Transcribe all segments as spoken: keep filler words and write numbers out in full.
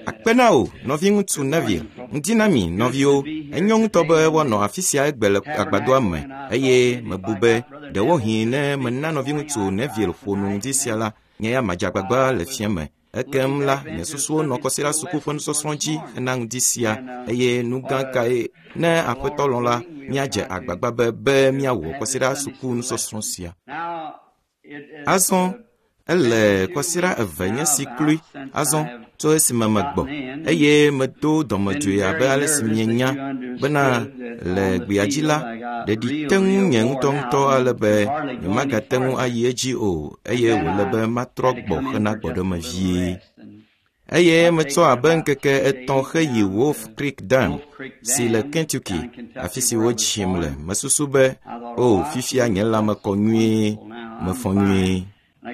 Akpe na wò, nɔviŋutsu Neville. Ŋdi na mi, nɔviwo. Enyo ŋutɔ be woanɔ afi sia egbe le agbadɔa me eye mebu be ɖewohĩ ne mena nɔviŋutsu Neville ƒo nu ŋdi sia la, nye ya madze agbagba le fiẽ me. Ekem la, nye susuwo nɔ kɔsiɖa suku ƒe nusɔsrɔ̃ dzi hena ŋdi sia eye nu gã kae ne aƒetɔ lɔ̃ la, míadze agbagba be be míawɔ kɔsiɖa suku nusɔsrɔ̃ sia. Azɔ ele kɔsiɖa eve nye si kloe azɔ tso esime megbɔ eye medo dɔmedzoe abe ale si mienya bena le gbea dzi la, ɖeɖi te ŋu nye ŋutɔŋutɔ ale be nyemagate ŋu ayi edzi o eye wòle be matrɔ gbɔ hena gbɔɖeme vie. Eye metsɔ abe ŋkeke etɔ̃ heyi Wolf Creek Dam si le Kentucky, afi si wodzim le. Mesusu be, o, fifia nye lãme kɔ nyuie, mefɔ nyuie.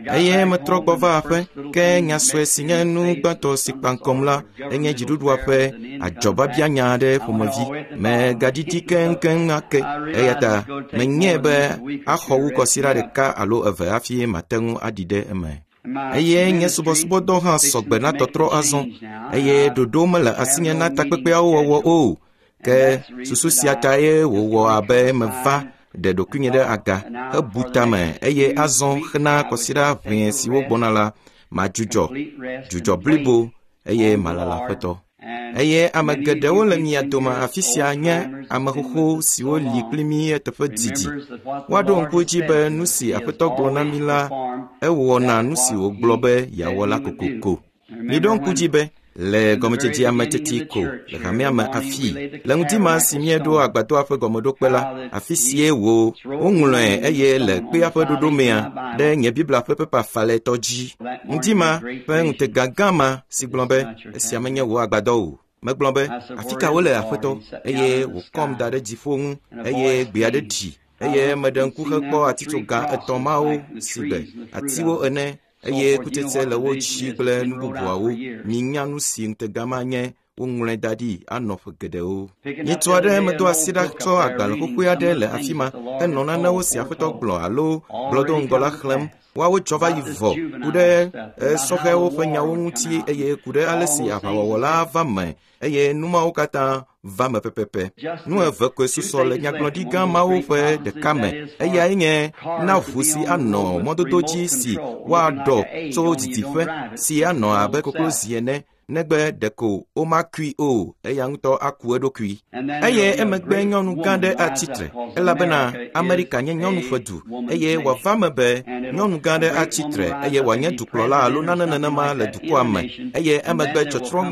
Eye metrɔ gbɔ va aƒe, ke nya sue si nye nu gbãtɔ si kpa ŋkɔm la enye dziɖuɖua ƒe adzɔbabianya aɖe ƒomevi. Megaɖiɖi keŋkeŋ ake eya ta menyae be axɔ wu kɔsiɖa ɖeka alo eve hafi mate ŋu aɖi ɖe eme. Eye nye subɔsubɔdɔ hã sɔgbe na tɔtrɔ azɔ eye ɖoɖo mele asinye na takpekpeawo wɔwɔ o. Ke susu sia tae wòwɔ abe meva ɖe ɖokuinye ɖe aga hebu tame eye azɔ hena kɔsiɖa ʋɛe siwo gbɔna la, madzudzɔ dzudzɔ blibo eye malala aƒetɔ. Eye ame geɖewo le mia dome afi sia nye ame xoxo siwo li kpli mí eteƒe didi. Woaɖo ŋku edzi be nu si aƒetɔ gblɔ na mí la, ewɔna nu si wògblɔ be yeawɔ la kokoko. Miɖo ŋku dzi be le gɔmedzedzea me teti ko le hamea me afii le ŋdi ma si míeɖo agbadɔa ƒe gɔmeɖokpe la, afi sie wò woŋlɔe eye le kpea ƒe ɖoɖomea ɖe nye Biblia ƒe pepa falɛtɔ dzi. Ŋdi ma ƒe ŋutega gã ma si gblɔ be esia menye wò agbadɔ o. Megblɔ be afi ka wole aƒetɔ eye wòkɔm da ɖe dziƒo ŋu eye gbe aɖe ɖi eye meɖe ŋku hekpɔ atitsoga etɔ̃ mawo si gbe atiwo ene eye kutsetse le wo dzi kple nu bubuawo. Minya nu si ŋutega ma nye woŋlɔe da ɖi anɔ ƒe geɖewo. Nyitsu aɖe medo asi ɖa tsɔ agbalẽ xoxoe aɖe le afi ma henɔ nanewo si aƒetɔ gblɔ alo gblɔ do ŋgɔ la xlẽm. Woawo dzɔ va yi vɔ ku ɖe sɔhɛwo ƒe nyawo ŋuti eye ku ɖe ale si aʋawɔwɔ la va me eye nu mawo katã va me pɛpɛpɛ. Nu eve koe susɔ le nyagblɔɖi gã mawo ƒe ɖeka me. Eyae nye na ʋu si anɔ mɔdodo dzi si woaɖɔ tso didiƒe si anɔ abe koklozi ene negbe ɖeko womakui o, eya ŋutɔ aku eɖokui. Eye emegbe nyɔnu gã ɖe atsi tre elabena Amerika nye nyɔnu ƒe du eye wòava me be nyɔnu gã ɖe atsi tre eye wòanye dukplɔla alo nane nenema le dukɔa me eye emegbe tsɔtsrɔ̃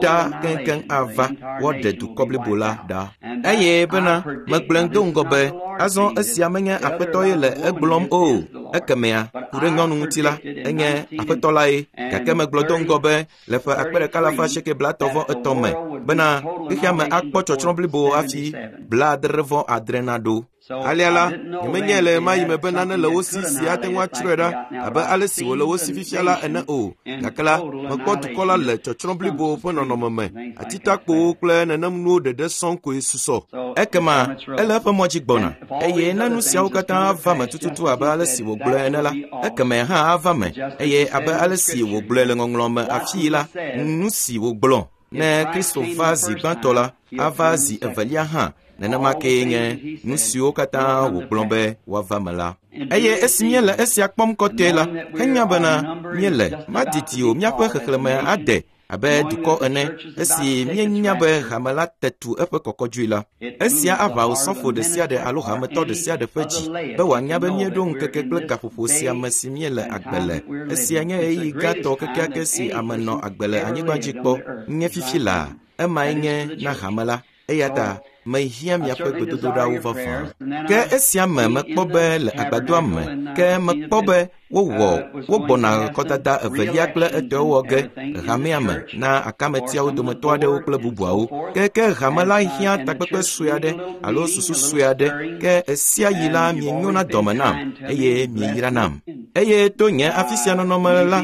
ɖa keŋkeŋ ava woaɖe dukɔ blibo la ɖa. Eye bena megblɔe do ŋgɔ be azɔ esia menye aƒetɔ ye le egblɔm o. Ekemea ku ɖe nyɔnu ŋuti la enye aƒetɔ lae gake megblɔ do ŋgɔ be le ƒe akpe ɖeka alafa asieke blaetɔ̃ vɔ etɔ̃ me bena xexea me akpɔ tsɔtsrɔ̃ blibo hafi blaadre vɔ adre naɖo. Alea la, nyemenyae le ɣemaɣi me be nane le wo si si ate ŋu atsrɔe ɖa abe ale si wòle wo si fifia la ene o. Gake la, mekpɔ dukɔ la le tsɔtsrɔ̃ blibo ƒe nɔnɔme me. Atitakpowo kple nenem nuwo ɖeɖe sɔŋ koe susɔ. Ekema ele eƒe mɔ dzi gbɔna eye ne nu siawo katã va me tututu abe ale si wògblɔe ene la, ekeme hã ava me eye abe ale si wògblɔe le ŋɔŋlɔ me afii la, nu si wògblɔ ne Kristo va zi gbãtɔ la, ava zi evelia hã. Nenema kee nye nu siwo katã wògblɔ be woava me la. Eye esi míele esia kpɔm kɔtɔe la, henya bena míele madidi o míaƒe xexlẽme ade abe dukɔ ene esi míenya be hame la te tu eƒe kɔkɔdzoe la. Esia aʋa osɔfo ɖe sia ɖe alo hametɔ ɖe sia ɖe ƒe dzi be wòanya be míeɖo ŋkeke kple gaƒoƒo sia me si míele agbe le. Esia nye ɣeyiɣi gãtɔ kekeake si ame nɔ agbe le anyigba dzi kpɔ nye fifi laa. Emae nye na hame la. Eya ta mehiã miaƒe gbedodoɖawo vavã. Ke esia me mekpɔ be le agbadɔa me, ke mekpɔ be wowɔ wogbɔna kɔdada evelia kple etɔ̃ wɔ ge le hamea me na akametiawo dometɔ aɖewo kple bubuawo. Ke ke hame la hiã takpekpe sue aɖe alo susu sue aɖe ke esia yi la mienyo na dɔme nam eye mieyra nam. Eye to nye afi sia nɔnɔme la,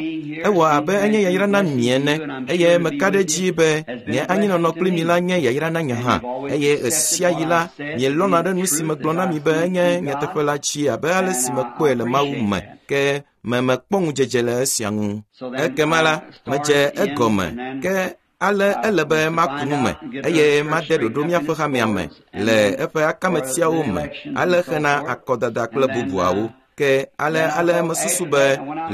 ewɔ abe enye yayra na mi ene eye meka ɖe edzi be nye anyinɔnɔ kpli mi la nye yayra na nye hã. Eye esia yi la, mielɔ̃na ɖe nu si megblɔ na mi be enye nyateƒe la dzi abe ale si mekpɔe le Mawu me. Ke Me mekpɔ ŋudzedze le esia ŋu. Ekema la, medze egɔme ke ale ele be maku nu me eye made ɖoɖo míaƒe hamea me le eƒe akametiawo me ale hena akɔdada kple bubuawo. Ke ale ale mesusu be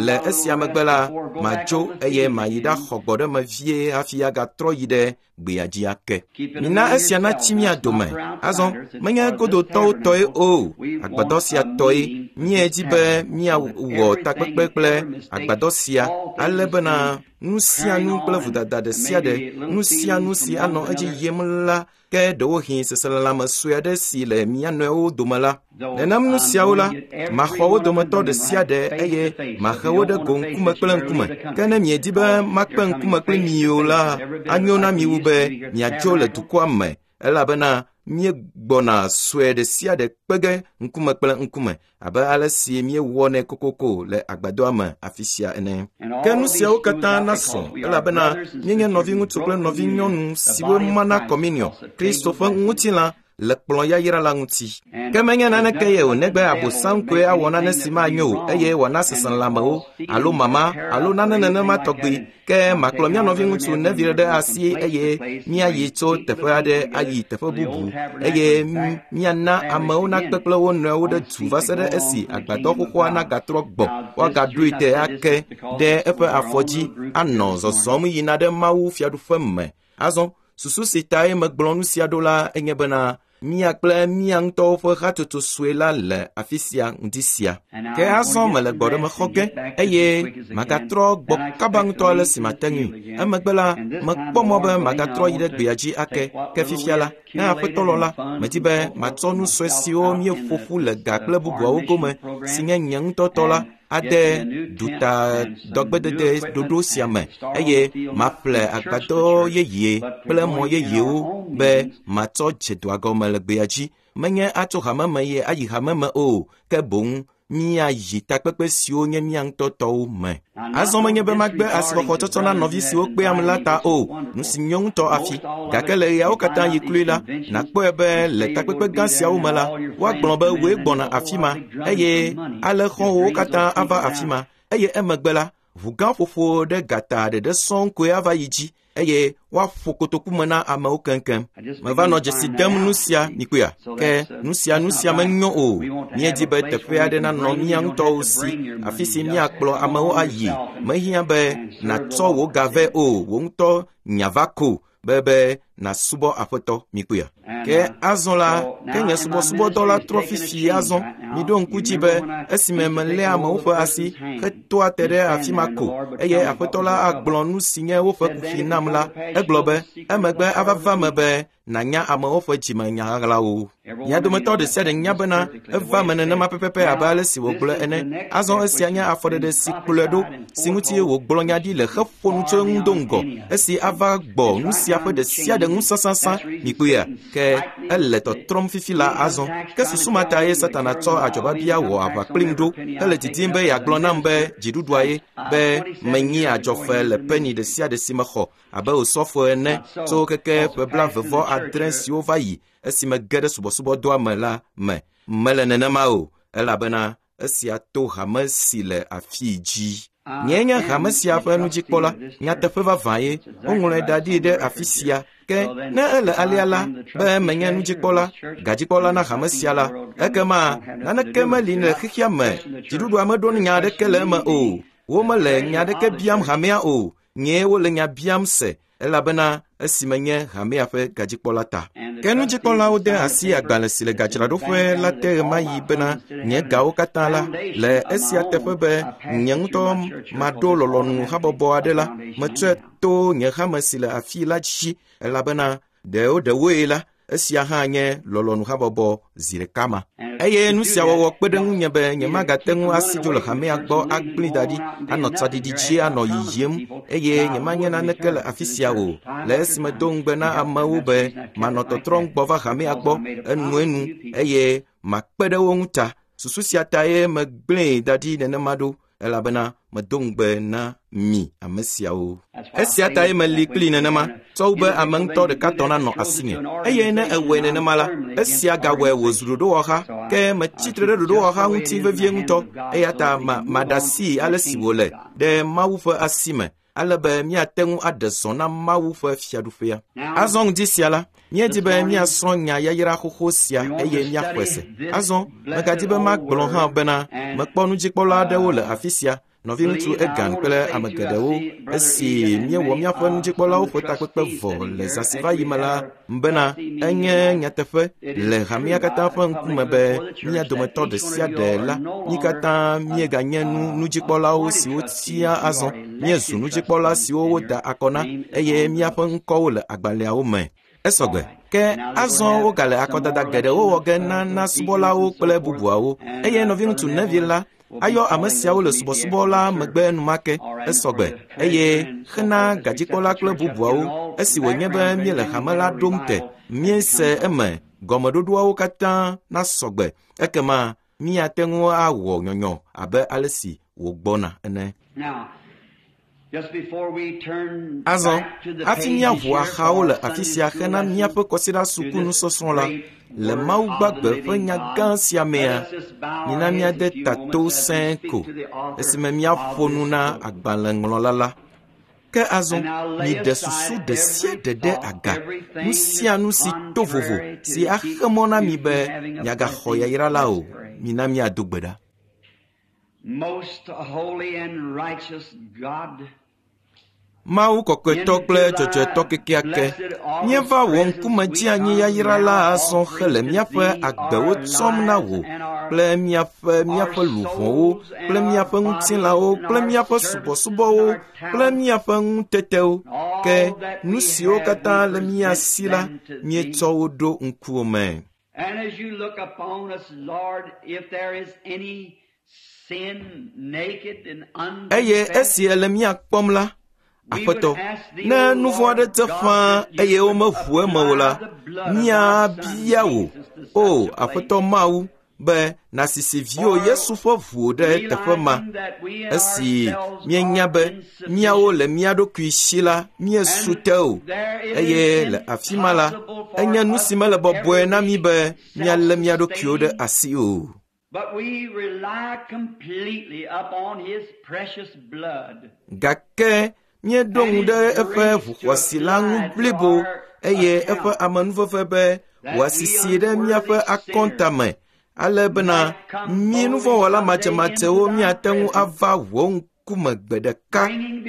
le esia megbe la madzo eye mayi ɖaxɔ gbɔɖeme vie hafi agatrɔ yi ɖe gbea dzi ake. Mina esia natsi mía dome. Azɔ menye godotɔwo tɔe o, agbadɔ sia tɔe. Míedi be míawɔ takpekpe kple agbadɔ sia ale bena nu sia nu kple vodada ɖe sia ɖe, nu sia nu si anɔ edzi yim la, ke ɖewohĩ seselelãme sue aɖe si le mía nɔewo dome la. Nenem nu siawo la, maxɔ wo dometɔ ɖe sia ɖe eye mahe wo ɖe go ŋkume kple ŋkume. Ke ne miedi be makpe ŋkume kple mi o la, anyo na mi wu be miadzo le dukɔa me, elabena míegbɔna sue ɖe sia ɖe kpe ge ŋkume kple ŋkume abe ale si míewɔnɛ kokoko le agbadɔa me afi sia ene. Ke nu siawo katã nasɔ elabena míenye nɔviŋutsu kple nɔvinyɔnu siwo mana kɔminiɔ Kristo ƒe ŋutilã le kplɔ̃ yayra la ŋuti. Ke menye naneke ye o negbe abosam koe awɔ nane si manyo o eye wòana seselelãmewo alo mama alo nane nenema tɔgbi. Ke makplɔ mía nɔviŋutsu Neville ɖe asi eye míayi tso teƒe aɖe ayi teƒe bubu eye míana amewo nakpe kple wo nɔewo ɖe du va se ɖe esi agbadɔ xoxoa nagatrɔ gbɔ woagaɖoe te ake ɖe eƒe afɔ dzi anɔ zɔzɔm yina ɖe Mawu fiaɖuƒe me. Azɔ susu si tae megblɔ nu sia ɖo la enye bena mía kple mía ŋutɔwo ƒe hatsotso sue la le afi sia ŋdi sia. Ke azɔ mele gbɔɖeme xɔ ge eye magatrɔ gbɔ kaba ŋutɔ ale si mate ŋui. Emegbe la, mekpɔ mɔ be magatrɔ yi ɖe gbea dzi ake. Ke fifia la, ne aƒetɔ lɔ la, medi be matsɔ nu sue siwo míeƒo ƒu le ga kple bubuawo gome si nye nye ŋutɔ tɔ la ade duta dɔgbedede ɖoɖo sia me eye maƒle agbadɔ yeye kple mɔ yeyewo be matsɔ dze dɔa gɔme le gbea dzi. Menye atso hame me ye ayi hame me o, ke boŋ míayi takpekpe siwo nye mía ŋutɔ tɔwo me. Azɔ menye be magbe asixɔxɔ tsɔtsɔ na nɔvi siwo kpeam la ta o, nu si nyo ŋutɔ afi. Gake le ɣeawo katã yi kloe la, nàkpɔe be le takpekpe gã siawo me la, woagblɔ be wòe gbɔna afi ma eye ale xɔ̃wòwo katã ava afi ma eye emegbe la, ʋu gã ƒoƒo ɖe gata ɖeɖe sɔŋ koe ava yi dzi eye woaƒo kotoku me na amewo keŋkeŋ. Meva nɔ dzesi dem nu sia mikpɔea? Ke nu sia nu sia menyo o. Míedi be teƒe aɖe nanɔ mía ŋutɔwo si, afi si míakplɔ amewo ayi. Mehiã be nàtsɔ wò ga vɛ o, wò ŋutɔ nya va ko be be nàsubɔ aƒetɔ mikpɔea? Ke azɔ la, ke nye subɔsubɔdɔ la trɔ fifi azɔ. Miɖo ŋku dzi be esime meléa amewo ƒe asi hetoa te ɖe afi ma ko eye aƒetɔ la agblɔ nu si nye woƒe kuxi nam la, egblɔ be emegbe ava va me be nànya amewo ƒe dzimenya ɣaɣlawo. Mia dometɔ ɖe sia ɖe nya bena eva me nenema pɛpɛpɛ abe ale si wògblɔe ene. Azɔ esia nye afɔɖeɖe si kplɔe ɖo si ŋuti wògblɔ nya ɖi le heƒo nu tso eŋu do ŋgɔ esi ava gbɔ nu sia ƒe ɖe sia ɖe ŋu sãsãsã mikpɔea? Ke ele tɔtrɔm fifi la azɔ. Ke susu ma tae Satana tsɔ adzɔbabia wɔ aʋa kplim ɖo hele didim be yeagblɔ nam be dziɖuɖua ye be menyi adzɔfe le peni ɖe sia ɖe si mexɔ abe osɔfo ene tso keke ƒe blaeve adre siwo va yi esime ge ɖe subɔsubɔdɔa me la me. Mele nenema o, elabena esia to hame si le afii dzi. Nyee nye hame sia ƒe nudzikpɔla, nyateƒe vavã ye, woŋlɔe da ɖi ɖe afi sia. Ke ne ele alea la, be menye nudzikpɔla, gadzikpɔla na hame sia la, ekema naneke meli le xexea me, dziɖuɖua meɖo nya aɖeke le eme o. Womele nya aɖeke biam hamea o, nyee wole nya biam se, elabena esime nye hamea ƒe gadzikpɔla ta. Ke nudzikpɔlawo de asi agbalẽ si le gadzraɖoƒe la te ɣemaɣi bena nye gawo katã la, le esia teƒe be nye ŋutɔ maɖo lɔlɔ̃nu habɔbɔ aɖe la, metsɔe to nye hame si le afii la dzi, elabena ɖewo ɖewoe la, esia hã nye lɔlɔ̃nu habɔbɔ zi ɖeka ma. Eye nu sia wɔwɔ kpe ɖe ŋunye be nyemagate ŋu asi dzo le hamea gbɔ agblẽ da ɖi, anɔ tsaɖiɖi dzi anɔ yiyim eye nyemanye naneke le afi sia o. Le esime do ŋugbe na amewo be manɔ tɔtrɔm gbɔ va hamea gbɔ enuenu eye makpe ɖe wo ŋu ta. Susu sia tae megblẽe da ɖi nenema ɖo, elabena medo ŋugbe na mi ame siawo. Esia tae meli kpli nenema, tsɔ wu be ame ŋutɔ ɖeka tɔ nanɔ asinye. Eye ne ewɔe nenema la, esia gawɔe wòzu ɖoɖowɔha, ke metsi tre ɖe ɖoɖowɔha ŋuti vevie ŋutɔ. Eya ta ma maɖe asi ale si wòle ɖe Mawu ƒe asi me, ale be míate ŋu aɖe zɔ na Mawu ƒe fiaɖuƒea. Azɔ ŋdi sia la, míedi be míasrɔ̃ nya yayra xoxo sia eye míaxɔe se. Azɔ megadi be magblɔ hã bena mekpɔ nudzikpɔla aɖewo le afi sia, nɔviŋutsu Egan kple ame geɖewo, esi míewɔ míaƒe nudzikpɔlawo ƒe takpekpe vɔ le zã si va yi me la, bena enye nyateƒe le hamea katã ƒe ŋkume be mía dometɔ ɖe sia ɖe la, mí katã míeganye nu nudzikpɔlawo siwo tia azɔ, míezu nudzikpɔla siwo woda akɔ na eye míaƒe ŋkɔwo le agbalẽawo me. Esɔgbe. Ke azɔ wogale akɔdada geɖewo wɔ ge na na subɔlawo kple bubuawo, eye nɔviŋutsu Neville la ayɔ ame siawo le subɔsubɔ la megbe enumake. Esɔgbe. Eye xena gadzikpɔla kple bubuawo, esi wònye be míele hame la ɖom te, míese eme gɔmeɖoɖoawo katã nasɔgbe, ekema míate ŋu awɔ nyɔnyɔ abe ale si wògbɔna ene. Azɔ, hafi míaʋu axawo le afi sia hena míaƒe kɔsiɖa suku nusɔsrɔ̃ la, le Mawu gbagbe ƒe nya gã sia mea, mina míade ta to sẽe ko esime míaƒo nu na agbalẽŋlɔla la. Ke azɔ, miɖe susu ɖe sia ɖe ɖe aga, nu sia nu si to vovo si axe mɔ na mi be miagaxɔ yayra la o. Mina míado gbe ɖa. Most holy and righteous God, Mawu kɔkɔetɔ kple dzɔdzɔetɔ kekeake, míeva wò ŋkume dzi anyi yayra la azɔ hele míaƒe agbewo tsɔm na wò kple míaƒe míaƒe luʋɔwo kple míaƒe ŋutilãwo kple míaƒe subɔsubɔwo kple míaƒe ŋutetewo. Ke nu siwo katã le mía si la, míetsɔ wo ɖo ŋkuwò me. And as you look upon us, Lord, if there is any sin naked and Eye unconfessed, esi ele mía kpɔm la, Aƒetɔ, ne nu vɔ̃ aɖe te ƒãa eye womeʋu eme o la, míabia wò, o Aƒetɔ Mawu, be nàsisi viwò Yesu ƒe ʋu ɖe teƒe ma, esi míenya be míawo le mía ɖokui si la, míesu te o, eye le afi ma la, enye nu si mele bɔbɔe na mí be míalé mía ɖokuiwo ɖe asi o. But we rely completely upon His precious blood. Gake míeɖo ŋu ɖe eƒe ʋuxɔasi la ŋu blibo eye eƒe amenuveve be wòasisi ɖe míaƒe akɔnta me, ale bena mí nuvɔ̃wɔla madzemadzewo míate ŋu ava wò ŋkume gbe ɖeka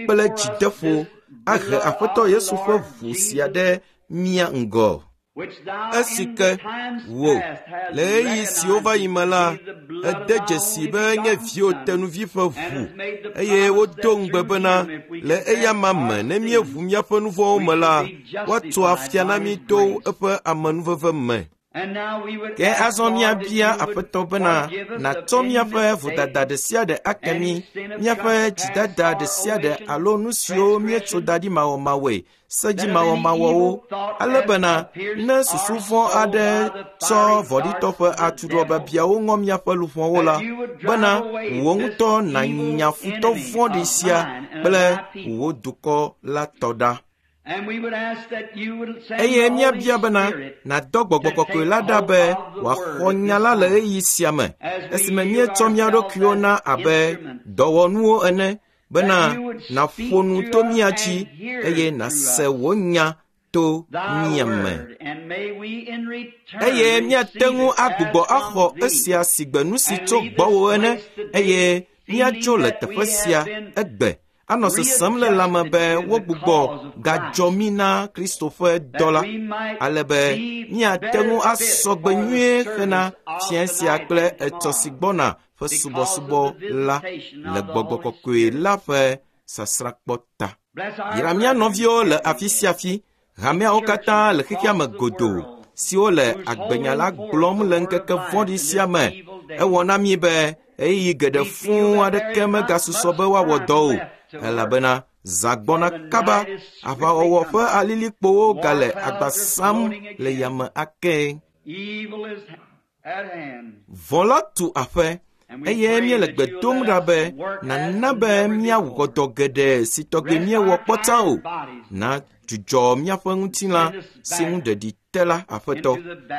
kple dzideƒo ahe Aƒetɔ Yesu ƒe ʋu sia ɖe mía ŋgɔ. Which thou Esi in ke the times wò, past hast le ɣeyiɣi siwo va yi me la, recognized to be the blood of ède thy dzesi only be nye begotten viwò Son, tenuvi ƒe and ʋu, hast made the eye promise wodo that ŋugbe through bena him, if we le confess eyama our me ne sins, míeʋu míaƒe nu vɔ̃wo we me la, shall be woatso afia justified na by mí his to grace. eƒe amenuveve me. And now we would Ke ask, azɔ Lord, that míabia you would Aƒetɔ bena forgive us of nàtsɔ any míaƒe mistake, vodada ɖe sia ɖe ake mí, any sin of míaƒe trespass dzidada or ɖe sia ɖe omission, alo nu siwo míetso transgression, da ɖi mawɔmawɔe, that if any sedzimawɔmawɔwo, evil thought ale hath bena pierced ne our susu vɔ̃ soul aɖe by the tsɔ fiery vɔ̃ɖitɔ darts ƒe of the atuɖɔ devil, biabiawo ŋɔ míaƒe luʋɔwo la, that you would drive bena away wò this ŋutɔ evil nànya futɔ enemy vɔ̃ɖi of sia mine and of kple thy people. wò dukɔ la tɔ ɖa. And we would ask that you would send Eye the Holy míabia bena Spirit nàdɔ gbɔgbɔ to kɔkɔe take la ɖa hold be of the wòaxɔ word at nya this la le time, ɣeyiɣi sia me, as we esime yield míetsɔ mía ourselves ɖokuiwo as na abe instruments, dɔwɔnuwo ene, bena that you would nàƒo speak nu to to us mía and dzi hear eye through nàse us wò nya to thy mía me. word, and may we in return Eye míate receive ŋu it as agbugbɔ from axɔ thee, esia si gbe nu si and tso leave this gbɔwò ene, place today eye feeling míadzo le that we teƒe sia have been egbe anɔ sesem le lãme be readjusted to the wogbugbɔ cause of gadzɔ Christ, mí na Kristo ƒe dɔ that la, we might ale be be míate better ŋu fit asɔ gbe for the nyuie hena service of fiẽ sia tonight kple and etsɔ si tomorrow gbɔna ƒe because of subɔsubɔ the la visitation le of the gbɔgbɔ Holy kɔkɔe Spirit. la ƒe sasrãkpɔ ta. Bless our Yra mía brethren nɔviwo le afi everywhere, sia afi, hameawo katã churches le xexea me across the godoo world, siwo le who's agbenya la holding forth gblɔm the le word of ŋkeke life vɔ̃ɖi in sia this me. evil day. Ewɔ na mí be ɣeyiɣi geɖe We feel fũu that there aɖeke is not megasusɔ much be woawɔ time dɔ o, left to work, elabena zã for gbɔna the kaba, night is swiftly aʋawɔwɔ ƒe coming. alilikpowo War gale clouds agba are sam floating le again. yame ake. Evil is at hand, Vɔ̃ la tu aƒe Eye míele gbe dom ɖa be nàna be míawɔ dɔ geɖe si tɔgbi míewɔ kpɔ tsã o. Na dzudzɔ míaƒe ŋutilã si ŋu ɖeɖi te la, Aƒetɔ,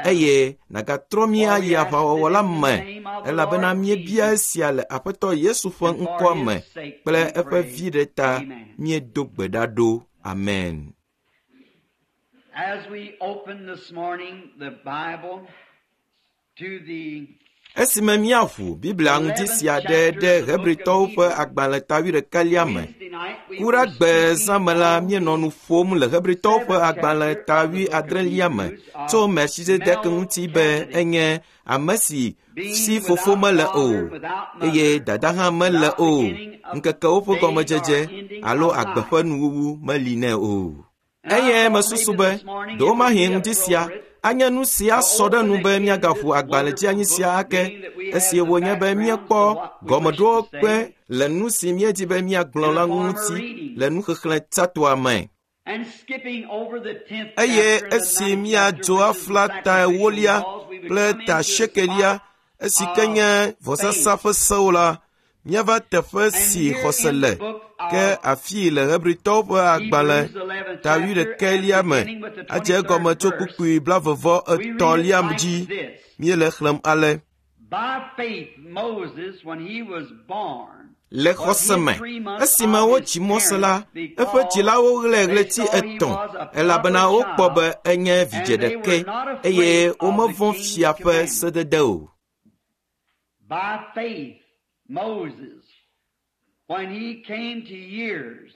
eye nàgatrɔ mí ayi aʋawɔwɔ la me, elabena míebia esia le Aƒetɔ Yesu ƒe ŋkɔa me kple eƒe viɖe ta míedo gbe ɖa ɖo. Amen. As we open this morning the Bible to the Esime míaʋu Biblia ŋdi sia ɖe ɖe Hebritɔwo ƒe agbalẽ ta wuiɖekɛlia me. Wednesday night, we Ku ɖa were gbe speaking zã me la, on míenɔ nu ƒom le Hebritɔwo ƒe agbalẽ ta wuiadrelia me tso Melchizedek ŋuti be enye ame si si being fofo without mele o father, without eye mother, dada hã mele without o. beginning of Ŋkekewo ƒe days gɔmedzedze or ending alo of agbe life. ƒe nuwuwu meli nɛ o. And I Eye thought mesusu maybe be this morning it would ɖewomahi be ŋdi sia appropriate anye nu si to asɔ ɖe open nu be again míagaʋu this agbalẽ dzi wonderful anyi sia book, ake being that we have esi the wònye be background to míekpɔ what we wish to gɔmeɖokpe say le nu si míedi be míagblɔ in la the former ŋuti reading. le nuxexlẽ tsãtɔa me. And skipping over the tenth Eye chapter and the esi ninth chapter, míadzo which is the afla ta sacrificial ewolia laws, we would kple come ta into a sekelia spot esi ke of nye vɔsasa faith. ƒe sewo la, míava teƒe And si here xɔse in le the book ke of afii le Hebritɔwo ƒe agbalẽ Hebrews, eleventh ta chapter, and wuiɖekɛlia me beginning with the adze egɔme twenty-third tso verse, kpukpui blavevɔ we read it etɔ̃lia like dzi this. míele xlẽm ale. By faith, Moses, when he was born, Le was xɔse hid me, three months esime of his wotsi Mose la, parents eƒe because dzilawo ɣlae they ɣleti saw he etɔ̃ was a elabena proper wokpɔ child, be enye vidzĩ and they ɖekɛ were not eye afraid of the womevɔ̃ king's fia ƒe commandment. sedede o. By faith, Moses, when he came to years,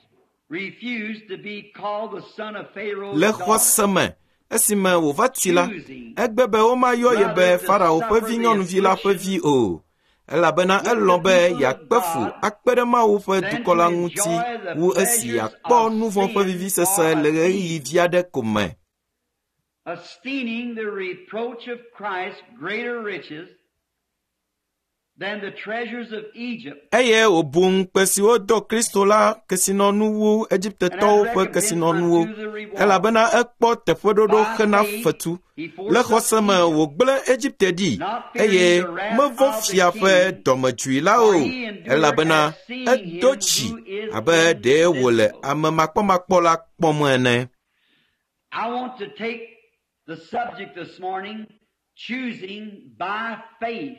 refused to be called the son of Pharaoh's Le daughter, xɔse me, esime wòva tsi la, choosing egbe be womayɔ ye be rather to Farao ƒe suffer the vinyɔnuvi la ƒe affliction vi o, elabena with the elɔ̃ be people of yeakpe fu God akpe ɖe Mawu ƒe than dukɔ to la ŋuti enjoy the wu esi pleasures yeakpɔ of nu vɔ̃ ƒe sin vivisese for a le ɣeyiɣi season, vi aɖe ko me. esteeming the reproach of Christ greater riches than the treasures of Egypt, Eye wòbu ŋukpe si wodo Kristo la kesinɔnu wu and had Egiptetɔwo ƒe recompense kesinɔnuwo, unto the reward. elabena ekpɔ teƒeɖoɖo By hena faith fetu. he Le forsook xɔse me Egypt, wògblẽ Egipte ɖi, not eye fearing the wrath mevɔ̃ of the fia ƒe king, dɔmedzoe la for o, he endured elabena as seeing edo him dzi who is abe ɖe wòle invisible. ame makpɔmakpɔ la kpɔm ene. I want to take the subject this morning, choosing by faith.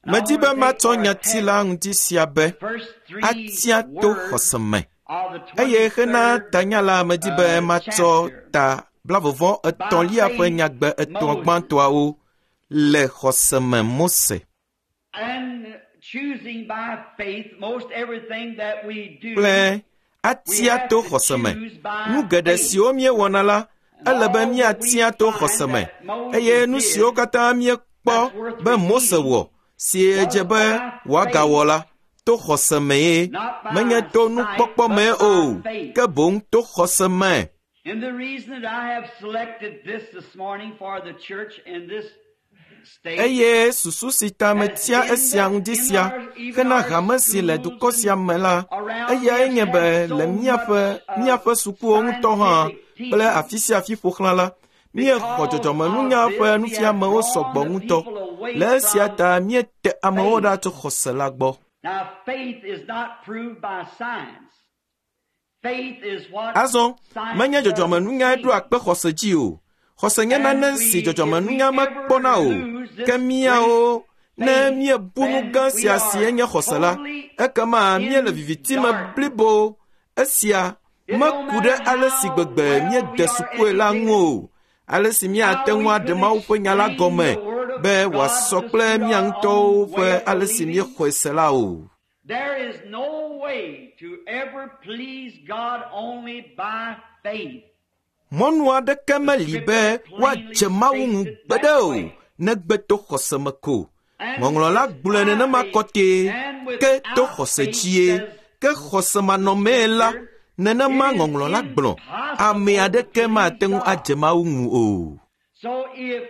And I Medi want be to take matsɔ for a nyati text la ŋuti sia be the first three atia to words xɔse me. of the Eye hena twenty-third tanya la medi be uh, matsɔ chapter. ta blavevɔ By etɔ̃lia ƒe faith, nyagbe etɔ̃ Moses. gbãtɔawo le xɔse me Mose And choosing by faith, most everything that we do, kple we atia have to to xɔse me. choose by Nu geɖe faith. siwo míewɔna la, And ele be all that we míatia to find xɔse me. that Moses Eye nu siwo did katã míekpɔ that's worth be Mose repeating wɔ, si was dze be by wòagawɔ faith, la, to xɔse mee, not by menye to sight, nukpɔkpɔ but mee by o, faith. ke boŋ to xɔse me. And the reason that I have selected this this morning for the church in this state Eye susu si ta has metia been esia that ŋdi in sia our even hena our hame si le schools dukɔ sia and me la, around we eyae have nye be had le so míaƒe much uh, míaƒe sukuwo ŋutɔ hã scientific kple teaching. afi sia afi ƒo xlã la, míexɔ Because dzɔdzɔmenunya of ƒe this, we have nufiamewo drawn sɔgbɔ the ŋutɔ. people away Le esia from ta míete amewo faith. ɖa tso xɔse la gbɔ. Now, faith is not proved by science. Faith is what Azɔ, science menye doesn't dzɔdzɔmenunyae see. ɖoa kpe xɔse dzi o. Xɔse nye And nane si we, if we dzɔdzɔmenunya ever mekpɔna o. lose Ke this great míawo, ne faith, míebu nu then gã we sia si are enye xɔse la, totally ekema míele in viviti me darkness. blibo. Esia It don't meku ɖe matter ale si how gbegbe well we míede are sukue la ŋu educated, o, ale si míate how ŋu we aɖe could Mawu ƒe nya la explain gɔme the Word of be God wòasɔ to kple suit mía our ŋutɔwo own ƒe way of ale si believing. míexɔe se la o. There is no way to ever please God only by faith. Mɔnu aɖeke The meli be Scripture plainly woadze Mawu states ŋu it gbeɖe that o, way. negbe to xɔse me ko. And Ŋɔŋlɔ la it's gblɔe by nenema faith kɔtɛe, and ke to without xɔse faith, dzie, says ke the xɔsemanɔmee la, Scripture, nenema it is ŋɔŋlɔ la gblɔ, ame impossible to aɖeke please mate ŋu God. adze Mawu ŋu o. So if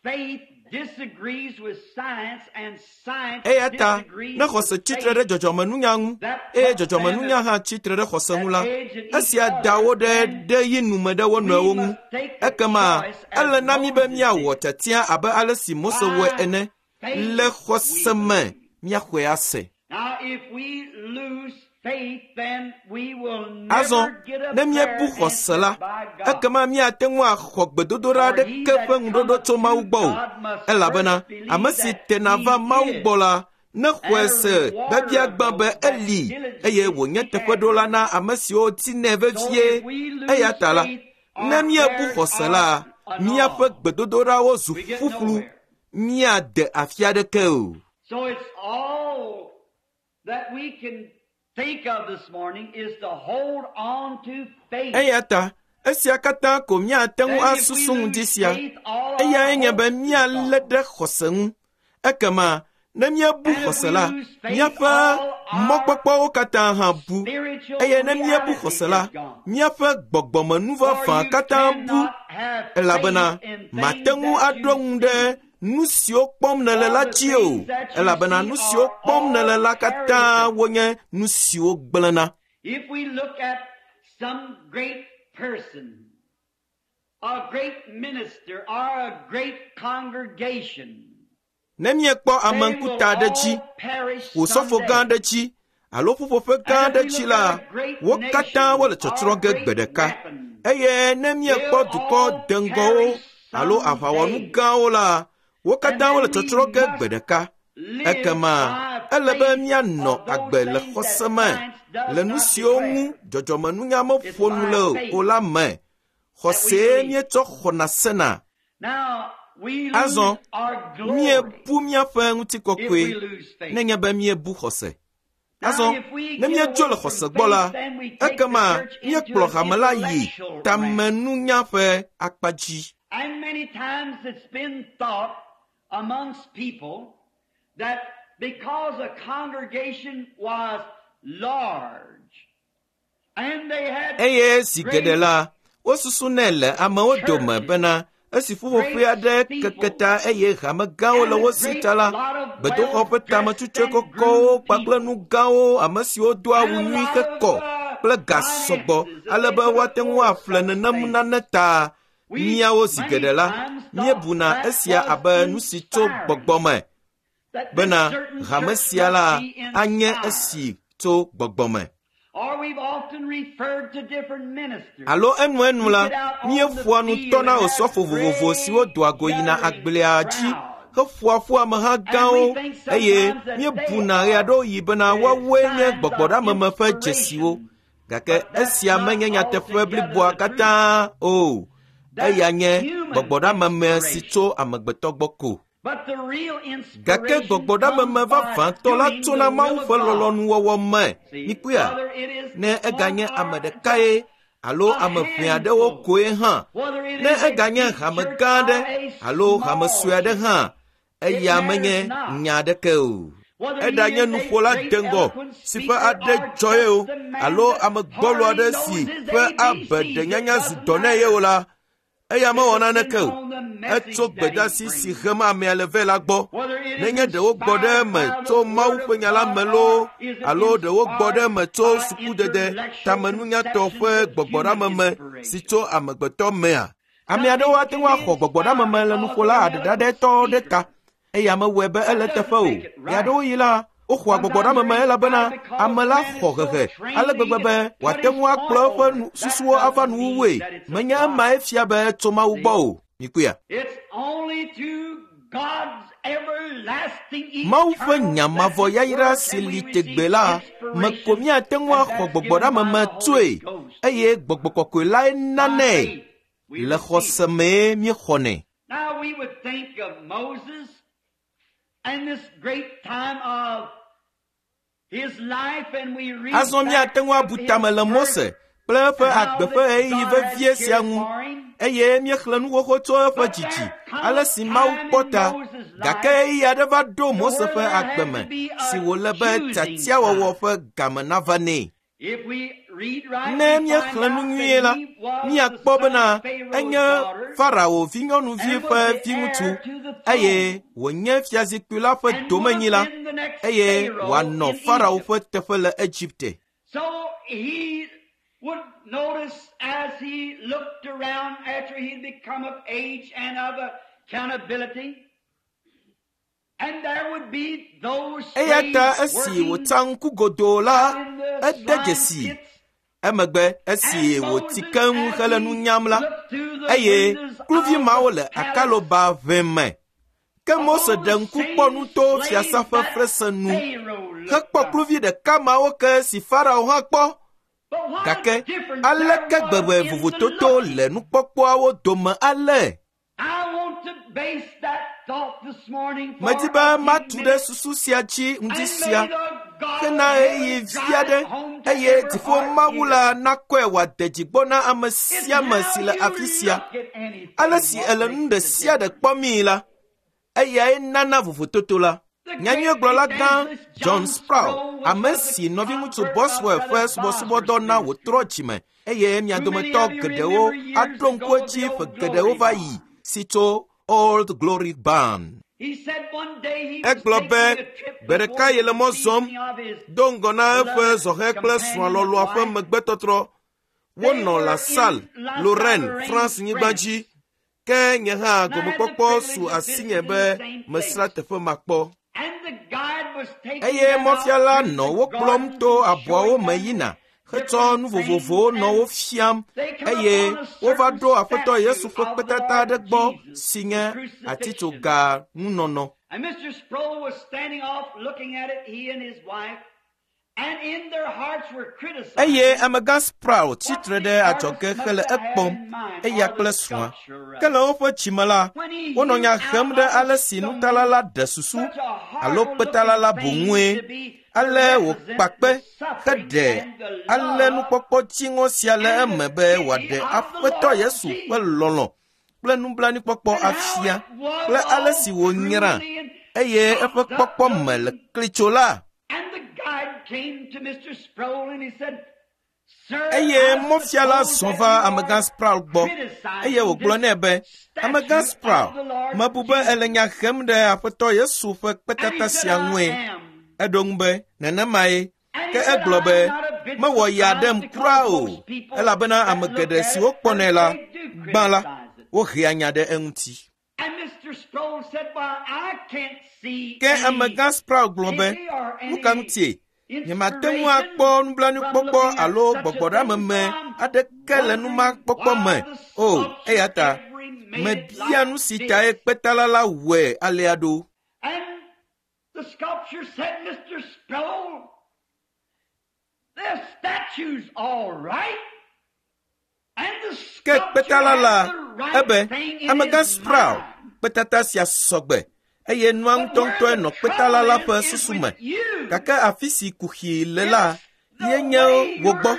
faith disagrees with science and science Eya ta, disagrees ne with xɔse tsitre faith, ɖe dzɔdzɔmenunya ŋu that eye puts them dzɔdzɔmenunya at, hã tsitre ɖe xɔse at ŋu la, edge at each esia da other, wo ɖe then ɖe yi nu me ɖe wo we nɔewo ŋu. must take the Ekema choice as ele na mí be Moses míawɔ did tiatia abe ale si Mose wɔe by ene, Le xɔse me míaxɔe ase. Azɔ ne míebu xɔse la, ekema míate ŋu axɔ gbedodoɖa aɖeke ƒe ŋuɖoɖo tso Mawu gbɔ o, elabena ame si tena va Mawu gbɔ la nexɔe se biabia gbã be eli eye wònye teƒeɖola na ame siwo dinɛ vevie. Eya ta la, ne míebu xɔse la, míaƒe gbedodoɖawo zu ƒuƒlu, míade afi aɖeke o. Eya ta esia katã ko míate ŋu asusu ŋdi sia. Eyae nye be míalé ɖe xɔse ŋu. Ekema ne míebu xɔse la, míaƒe mɔkpɔkpɔwo katã hã bu. Eye ne míebu xɔse la, míaƒe gbɔgbɔmenuvavã katã bu. Elabena mate ŋu aɖo ŋu ɖe nu siwo kpɔm nèle la dzi o, elabena nu siwo kpɔm nèle la katã wonye nu siwo gblẽna. If we look at some great person, a great minister, or a great congregation, Ne míekpɔ ame ŋkuta aɖe dzi, wòsɔfo gã aɖe dzi, alo ƒuƒoƒe gã aɖe dzi la, wo katã wole tsɔtsrɔ̃ ge gbe ɖeka. Eye ne míekpɔ dukɔ deŋgɔwo alo aʋawɔnu gãwo la, wo katã wole tsɔtsrɔ̃ ge gbe ɖeka. Ekema ele be míanɔ agbe le xɔse me, le nu siwo ŋu dzɔdzɔmenunya meƒo nu le o la me. Xɔsee míetsɔ xɔna sena. Azɔ míebu míaƒe ŋutikɔkɔe nenye be míebu xɔse. Azɔ ne míedzo le xɔse gbɔ la, ekema míekplɔ hame la yi tamenunya ƒe akpa dzi. And many times it's been thought amongst people that because a congregation was large and they had Eye zi geɖe la, wosusunɛ le amewo dome bena esi ƒuƒoƒe aɖe keke ta eye hame gãwo le wo si ta la, gbedoxɔ ƒe tametutsue kɔkɔwo kpakple nu gãwo ame siwo doa awu nyui hekɔ kple ga sɔgbɔ ale be woate ŋu aƒle nenem nane ta. Míawo zi geɖe la, míebuna esia abe nu si tso gbɔgbɔ me bena hame sia la anye esi tso gbɔgbɔ me. Or we've often referred to different ministers. Alo enuenu la, míeƒoa nu tɔna osɔfo vovovo siwo doa go yina agblea dzi heƒoa ƒu ameha gãwo eye míebuna ɣeaɖewoɣi bena woawoe nye gbɔgbɔɖameme ƒe dzesiwo. Gake esia menye nyateƒe bliboa katã o. Eya nye gbɔgbɔɖameme si tso amegbetɔ gbɔ ko. But the real Gake inspiration gbɔgbɔɖameme comes by vavãtɔ la doing tsona the Mawu will of ƒe God. lɔlɔ̃nuwɔwɔ me. Mikpɔea? Whether it is Ne eganye one ame or ɖekae alo ame ʋɛ aɖewo koe hã, whether it ne is a eganye big hame church gã or aɖe a alo small hame sue aɖe church, hã, eya menye nya aɖeke o. whether he Eɖanye is a nuƒola great deŋgɔ eloquent si ƒe speaker aɖe or dzɔ ye o just a man alo that ame gbɔlo hardly aɖe knows si his ƒe A B abe Cs, it ɖenyanya zu doesn't dɔ nɛ ye o matter. la, eya mewɔ It naneke depends o. on the message Etso that he gbedeasi si brings. hem amea le vɛ la gbɔ. Whether it is Nenye ɖe wogbɔ ɖe inspired eme by tso the Mawu Word ƒe of nya la God me loo or is it alo ɖe wogbɔ ɖe inspired eme tso by sukudede intellectual tamenunyatɔ ƒe conceptions of human gbɔgbɔɖameme si inspiration. tso amegbetɔ mea. Ame aɖewo ate ŋu axɔ gbɔgbɔɖameme le nuƒola aɖeɖaɖɛtɔ ɖe ta eye mewɔe be ele That teƒe doesn't o. make it right. Ɣeaɖewoɣi la, woxɔa Sometimes they're gbɔgbɔɖameme elabena inspired because ame la man is xɔ so hehe trained ale that he gbegbe be can put wòate his ŋu point akplɔ eƒe over. nu That susuwo ava doesn't mean nuwuwue. that it's of Menye God. emae fia be etso Mawu gbɔ See? o. Mikpɔea? It's only through God's everlasting, Mawu ƒe eternal, nya mavɔ blessed yayra word si can we li receive tegbe la me ko inspiration, míate ŋu and axɔ that's given by gbɔgbɔɖameme the Holy tsoe Ghost. eye gbɔgbɔ kɔkɔe lae By nanɛ. faith, we Le receive it. xɔse mee míexɔnɛ. Now we would think of Moses and this great time of his life, and we read Azɔ back míate ŋu of abu his tame le birth Mose kple eƒe and how agbe ƒe that ɣeyiɣi God had vevie sia cared ŋu for him. eye míexlẽ nu xoxo tso eƒe But dzidzi there come ale a si Mawu time kpɔ in ta. Moses' Gake life ɣeyiɣi aɖe va ɖo to Mose where ƒe there agbe had me to be si a wòle be choosing tiatiawɔwɔ time. ƒe game nava nɛ. If we read right, Ne we find míexlẽ nu out nyuie that la, he was the míakpɔ son bena of Pharaoh's enye daughter Farao vinyɔnuvi and ƒe was the viŋutsu heir to the eye throne wònye fiazikpui la ƒe and would have domenyila been the next eye Pharaoh wòanɔ in Farao Egypt. ƒe teƒe le Egipte. So he would notice as he looked around after he'd become of age and of accountability, Eya ta esi wòtsa ŋku godoo la, ede dzesi. Emegbe esi wòti keŋ hele nu nyam la, eye kluvi mawo le akaloba ʋe me. Ke Mose ɖe ŋku kpɔ nu to fiasã ƒe fesre nu hekpɔ kluvi ɖeka mawo ke si Farao hã kpɔ. Gake aleke gbegbe vovototo le nukpɔkpɔawo dome ale? Medi be matu ɖe susu sia dzi ŋdi sia hena ɣeyiɣi vi aɖe eye dziƒo Mawu la nakɔe wòade dzi gbɔ na ame sia ame si le afi sia. Ale si èle nu ɖe sia ɖe kpɔmii la, eyae nana vovototo la. Nyanyuiegblɔla gã John Sproul, ame si nɔviŋutsu Boswell ƒe subɔsubɔdɔ na wòtrɔ dzime eye mia dometɔ geɖewo aɖo ŋku edzi ƒe geɖewo va yi si tso Old Glory Barn. Egblɔ be gbe ɖeka yele mɔ zɔm do ŋgɔ na eƒe zɔhɛ kple srɔ̃a lɔlɔ̃a ƒe megbetɔtrɔ. Wonɔ La Salle, Lorraine, France nyigba dzi. Ke nye hã gomekpɔkpɔ su asinye be mesrã teƒe ma kpɔ. Eye mɔfiala nɔ wo kplɔm to abɔawo me yina hetsɔ nu vovovowo nɔ wo fiam eye wova ɖo Aƒetɔ Yesu ƒe kpetata aɖe gbɔ si nye atitsoga ŋunɔnɔ. Eye amegã Sproul tsitre ɖe adzɔge hele ekpɔm, eya kple srɔ̃a. Ke le woƒe dzime la, wonɔ nya hem ɖe ale si nutala la ɖe susu alo kpetala la boŋue. Ale wòkpa kpe heɖe ale nukpɔkpɔ dziŋɔ sia le eme be wòaɖe Aƒetɔ Yesu ƒe lɔlɔ̃ kple nublanuikpɔkpɔ afia kple ale si wònyra eye eƒe kpɔkpɔ me le klitso la. Eye mɔfiala zɔ va amegã Sproul gbɔ eye wògblɔ nɛ be, amegã Sproul, mebu be èle nya hem ɖe Aƒetɔ Yesu ƒe kpetata sia ŋue. Eɖo ŋu be, nenemae. Ke egblɔ be, mewɔ ya ɖem kura o, elabena ame geɖe siwo kpɔnɛ la, gbã la, wohea nya ɖe eŋuti. Ke amegã Sproul gblɔ be, nu ka ŋutie? Nyemate ŋu akpɔ nublanuikpɔkpɔ alo gbɔgbɔɖeameme aɖeke le numakpɔkpɔ me o, eya ta mebia nu si tae kpetala la wɔe alea ɖo. Ke kpetala la ebe, amegã Sproul, kpetata sia sɔgbe eye nua ŋutɔŋutɔe nɔ kpetala la ƒe susu me. Gake afi si kuxi le la ye nye wò gbɔ.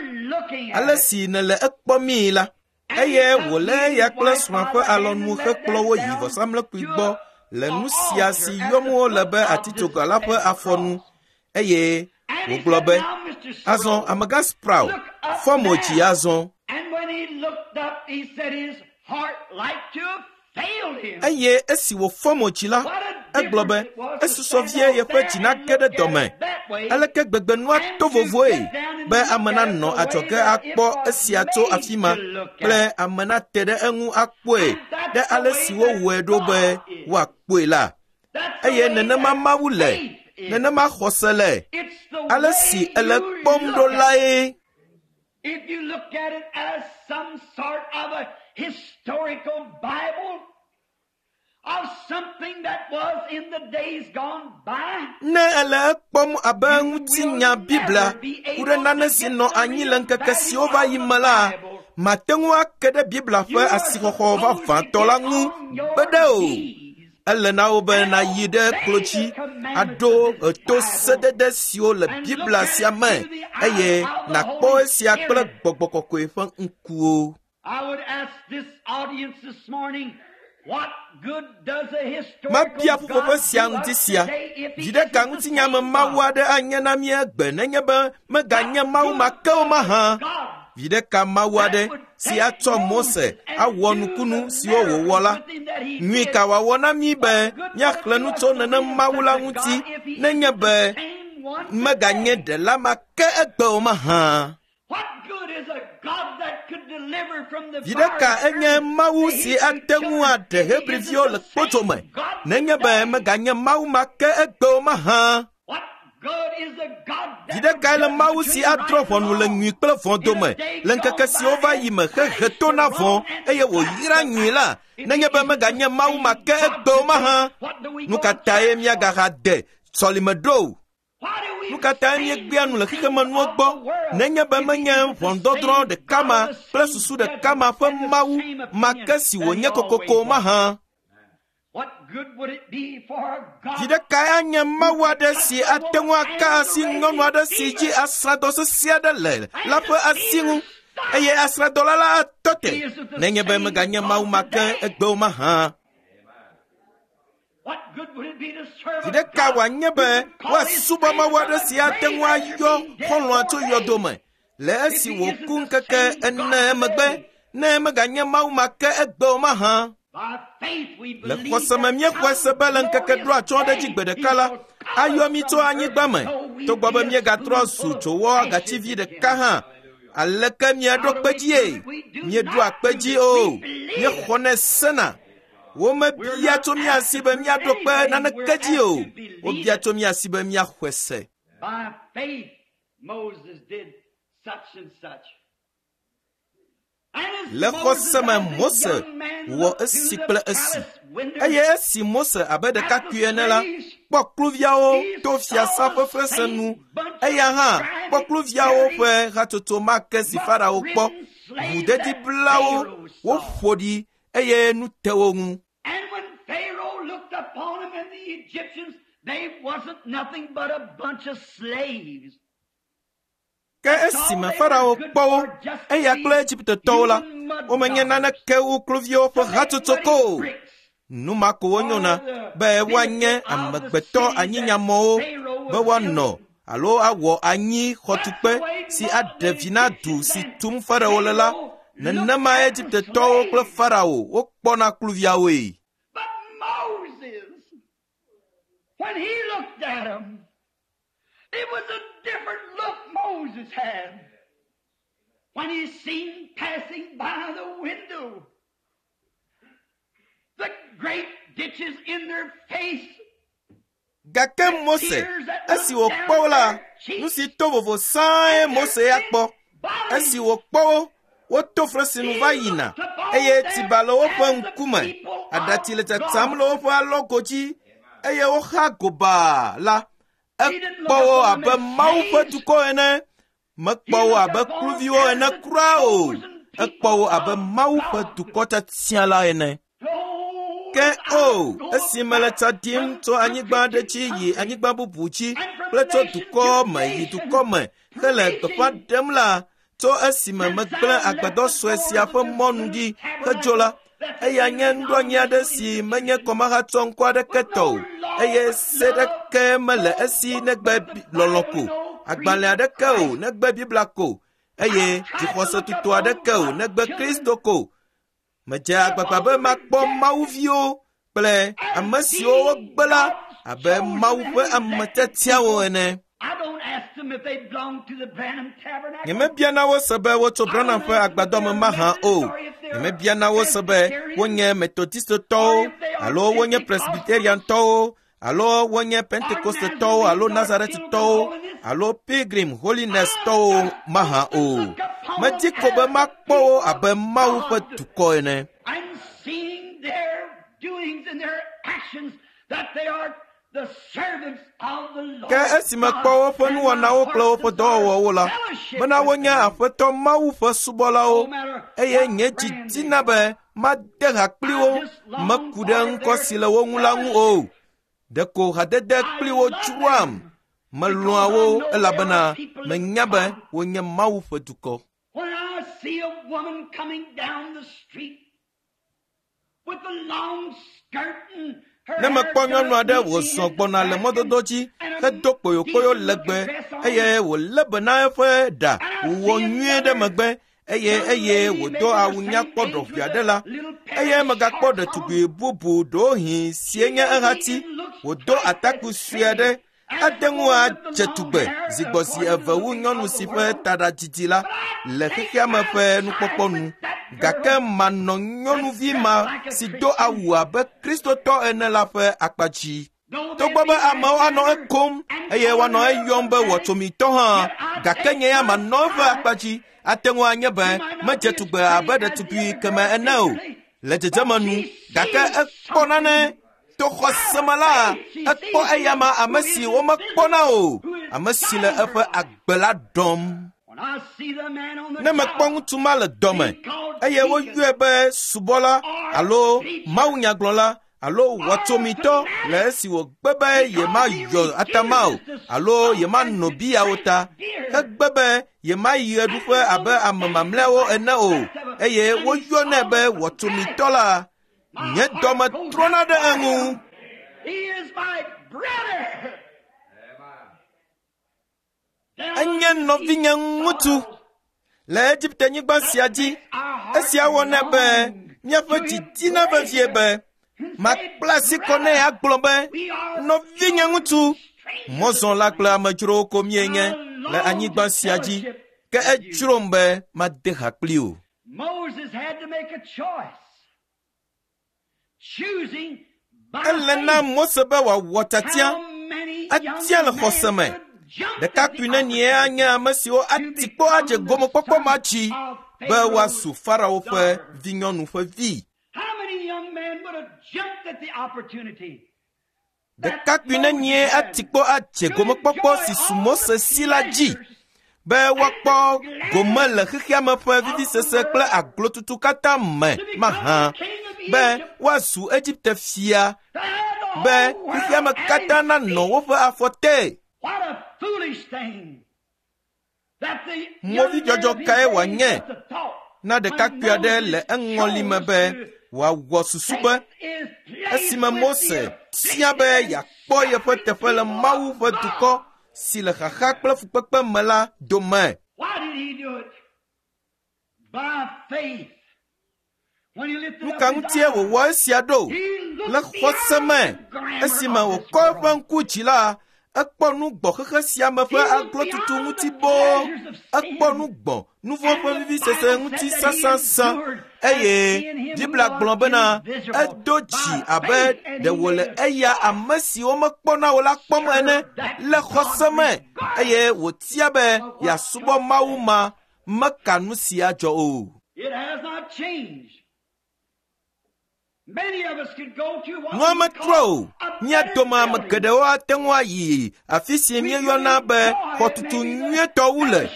Ale si nèle ekpɔmii la, eye wòlé eya kple srɔ̃a ƒe alɔnu hekplɔ wo yi vɔsamlekpui gbɔ le nu sia si yɔm wole be atitsoga la ƒe afɔnu eye wògblɔ be, azɔ amegã Sproul, fɔ mo dzi azɔ. Eye esi wòfɔ mo dzi la, egblɔ be esusɔ vie yeƒe dzi nage ɖe dɔme. Aleke gbegbe nua to vovoe be ame nanɔ adzɔge akpɔ esia tso afi ma kple ame nate ɖe eŋu akpɔe ɖe ale si wowɔe ɖo be woakpɔe la. Eye nenema Mawu le, nenema xɔse le, ale si ele kpɔm ɖo lae. If you look at it as some sort of a historical Bible of something that was in the days gone by, Ne ele ekpɔm abe ŋutinya Biblia ku ɖe nane si nɔ anyi le ŋkeke siwo va yi me la, mate ŋu ake ɖe Biblia ƒe asixɔxɔ vavãtɔ la ŋu gbeɖe o. Ele na wo be nayi ɖe klo dzi aɖo eto sedede siwo le Biblia sia me eye nakpɔ esia kple gbɔgbɔ kɔkɔe ƒe ŋkuwo. I would ask this audience this morning, what good does a historical Mabia ƒuƒoƒe God sia do ŋuti us sia. today if he Viɖe ka isn't the ŋutinya me same Mawu God? aɖe anye na mí egbe nenye be meganye Mawu ma ke o mahã? Viɖe ka Mawu aɖe si atsɔ Mose awɔ nukunu siwo wòwɔ la, nyui ka wòawɔ na mí be míaxlẽ nu tso nenem Mawu la ŋuti nenye be meganye ɖela ma ke egbe o mahã? What good is a God that could Viɖe ka enye Mawu si ate ŋu aɖe Hebriviwo le kpodzo me nenye be meganye Mawu ma ke egbe o mahã? Viɖe kae le Mawu si adrɔ̃ ʋɔnu le nyui kple vɔ̃ dome le ŋkeke siwo va yi me hehe to na vɔ̃ eye wòyra nyui la nenye be meganye Mawu ma ke egbe o mahã? Nu ka tae míagaha de sɔlime ɖo? Nu ka tae míegbea nu le xexemenuwo gbɔ nenye be menye ʋɔnudɔdrɔ̃ ɖeka ma kple susu ɖeka ma ƒe Mawu ma ke si wònye kokoko mahã? Viɖe kae anye Mawu aɖe si ate ŋu aka asi nyɔnu aɖe si dzi asrãdɔ sesẽ aɖe le la ƒe asi ŋu eye asrãdɔla la atɔ te nenye be meganye Mawu ma ke egbe o mahã? Viɖe ka wòanye be woasubɔ Mawu aɖe si ate ŋu ayɔ xɔlɔ̃a tso yɔdo me le esi wòku ŋkeke ene emegbe ne meganye Mawu ma ke egbe o mahã? Le xɔse me míexɔe se be le ŋkeke ɖo atsyɔ̃ ɖe dzi gbe ɖeka la, ayɔ mí tso anyigba me togbɔ be míegatrɔ zu dzowɔ gativi ɖeka hã. Aleke míeɖo kpe dzie? Míeɖo akpe dzi o. Míexɔnɛ sena. Womebia tso mía si be míaɖo kpe naneke dzi o. Wobia tso mía si be míaxɔe se. By faith, Moses did such and such. Le xɔse me Mose wɔ esi kple esi. Eye esi Mose abe ɖekakpui ene la, kpɔ kluviawo to fiasã ƒe fesre nu. Eya hã kpɔ kluviawo ƒe hatsotso ma ke si Farao kpɔ. Ʋudediblawo woƒo ɖi eye nu te wo ŋu. And when Pharaoh looked upon them and the Egyptians, they wasn't nothing but a bunch of slaves. Ke esime Farao kpɔ wo, eya kple Egiptetɔwo la, womenye naneke wu kluviwo ƒe hatsotso ko o. Nu ma ko wonyona be woanye amegbetɔ anyinyamɔwo be woanɔ alo awɔ anyi xɔtukpe si aɖe vi na du si tum Farao le la. Nenema Egiptetɔwo kple Farao wokpɔna kluviawoe. But Moses, when he looked at them, it was a different look Moses had when he seen passing by the window the great ditches in their face. Gake Mose, esi wòkpɔ wo la, nu si to vovo sãe Mose ya kpɔ. Esi wòkpɔ wo, woto fesre va yina eye tsiba le woƒe ŋkume, aɖatsi le tsatsam le woƒe alɔgo dzi eye woxa gobaa la, ekpɔ wo abe Mawu ƒe dukɔ ene. Mekpɔ wo abe kluviwo ene kura o. Ekpɔ wo abe Mawu ƒe dukɔ tiatia la ene. Ke o, esi mele tsa ɖim tso anyigba aɖe dzi yi anyigba bubu dzi kple tso dukɔ me yi dukɔ me hele gbeƒã ɖem la, tso esime megblẽ agbadɔ sue sia ƒe mɔnu ɖi hedzo la, eya nye nuɖoanyi aɖe si menye kɔmahatsɔ ŋkɔ aɖeke tɔ o eye se ɖeke mele esi negbe lɔlɔ̃ ko, agbalẽ aɖeke o negbe Biblia ko eye dzixɔse tutu aɖeke o negbe Kristo ko. Medze agbagba be makpɔ Mawuviwo kple ame siwo wogbe la abe Mawu ƒe ame tiatiawo ene. I don't ask them if they belong to the Branham Tabernacle. Nyemebiana wo se be wotso Branham ƒe agbadɔ me mahã o. Nyemebiana wo se be wonye Methodistetɔwo alo wonye Presbyteriantɔwo alo wonye Pentecostetɔwo alo Nazaretitɔwo alo Pilgrim Holiness-tɔwo mahã o. Medi ko be makpɔ wo abe Mawu ƒe dukɔ ene. And seeing their doings and their actions that they are the servants of the Lord. Ke esi mekpɔ woƒe nuwɔnawo kple woƒe dɔwɔwɔwo la, bena wonye Aƒetɔ Mawu ƒe subɔlawo eye nye dzi dina be made ha kpli wo meku ɖe ŋkɔ si le wo ŋu la ŋu o. Ɖeko hadede kpli wo dzroam. Melɔ̃a wo elabena menya be wonye Mawu ƒe dukɔ. When I see a woman coming down the street with a long skirt and her Ne mekpɔ nyɔnu aɖe wòzɔ gbɔna le mɔdodo dzi hedo kpoyokpoyo legbe eye wòlé be na eƒe ɖa wòwɔ nyuie ɖe megbe eye eye wòdo awu nyakpɔ ɖɔʋui aɖe la, eye megakpɔ ɖetugbi bubu ɖewohĩ sie nye ehati wòdo atakpui sue aɖe Ate ŋu adze tugbe zi gbɔ zi eve wu nyɔnu si ƒe taɖa didi la le xexea me ƒe nukpɔkpɔ nu. Gake manɔ nyɔnuvi ma si do awu abe Kristotɔ ene la ƒe akpa dzi. Togbɔ be amewo anɔ ekom eye woanɔ eyɔm be wɔtsomitɔ hã, gake nye ya manɔ eƒe akpa dzi. Ate ŋu anye be medze tugbe abe ɖetugbui keme ene o le dzedzeme nu, gake ekpɔ nane to xɔse me la, ekpɔ eyama ame si womekpɔna o, ame si le eƒe agbe la ɖɔm. Ne mekpɔ ŋutsu ma le dɔme eye woyɔe be subɔla alo mawunyagblɔla alo wɔtsomitɔ le esi wògbe be yemayɔ atama o alo yemanɔ biawo ta, hegbe be yemayi ɣeɖuƒe abe ame mamlɛawo ene o eye woyɔnɛ be wɔtsomitɔ la, nye dɔme trɔna ɖe eŋu. Enye nɔvinye ŋutsu le Egipte-nyigba sia dzi. Esia wɔnɛ be míaƒe dzi dina vevie be makpla asi kɔ nɛ agblɔ be nɔvinye ŋutsu, mɔzɔla kple amedzrowo ko míenye le anyigba sia dzi, ke edzrom be made ha kpli o. Ele na Mose be wòawɔ tiatia, atia le xɔse me. Ɖekakpui nenie anye ame siwo ati kpɔ adze gomekpɔkpɔ ma dzi be woazu Farao ƒe vinyɔnu ƒe vi. Ɖekakpui nenie ati kpɔ adze gomekpɔkpɔ si su Mose si la dzi be woakpɔ gome le xexea me ƒe vivisese kple aglotutu katã me mahã, be woazu Egipte fia, be xexea me katã nanɔ woƒe afɔ te. Movidzɔdzɔ kae wòanye na ɖekakpui aɖe le eŋɔli me be wòawɔ susu be esime Mose tia be yeakpɔ yeƒe teƒe le Mawu ƒe dukɔ si le xaxa kple fukpekpe me la dome. Nu ka ŋutie wòwɔ esia ɖo? Le xɔse me, esime wòkɔ eƒe ŋku dzi la, ekpɔ nu gbɔ xexe sia me ƒe aglotutu ŋuti boo, ekpɔ nu gbɔ nu vɔ̃ ƒe vivisese ŋuti sãsãsã eye Biblia gblɔ bena edo dzi abe ɖe wòle eya ame si womekpɔna o la kpɔm ene le xɔse me eye wòtia be yeasubɔ Mawu ma meka nu sia dzɔ o. Nua metrɔ o. Mía dome ame geɖewo ate ŋu ayi afi si míeyɔna be xɔtutu nyuietɔ wu le.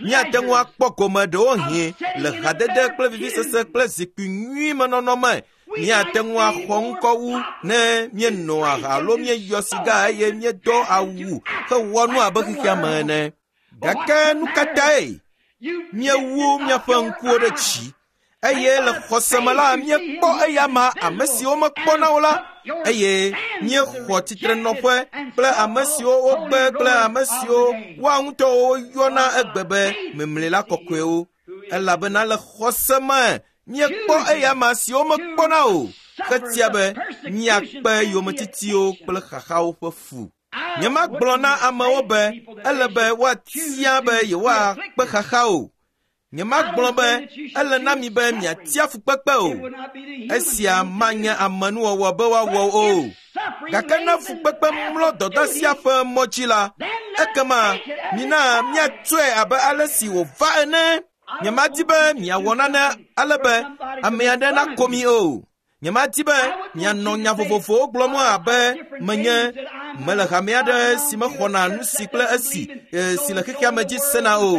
Míate ŋu akpɔ gome ɖewohĩ le hadede kple vivisese kple zikpui nyui me nɔnɔ me. Míate ŋu axɔ ŋkɔ wu ne míenɔ aha alo míeyɔ siga eye míedo awu hewɔ nu abe xexea me ene. Gake nu ka tae míewu míaƒe ŋkuwo ɖe dzi eye le xɔse me la míekpɔ eyama ame siwo mekpɔna o la eye míexɔ tsitrenɔƒe kple ame siwo wogbe kple ame siwo woa ŋutɔwo woyɔna egbe be memlela kɔkɔewo, elabena le xɔse me míekpɔ eyama siwo mekpɔna o hetia be míakpe yometitiwo kple xaxawo ƒe fu. Nyemagblɔ na amewo be ele be woatia be yewoakpe xaxa o. Nyemagblɔ be ele na mi be miatia fukpekpe o. Esia manye amenuwɔwɔ be woawɔ o. Gake ne fukpekpe mlɔ dɔdeasia ƒe mɔ dzi la, ekema mina míatsɔe abe ale si wòva ene. Nyemadi be miawɔ nane ale be ame aɖe nako mi o. Nyemadi be mianɔ nya vovovowo gblɔm abe menye mele hame aɖe si mexɔna nu si kple esi si le xexea me dzi sena o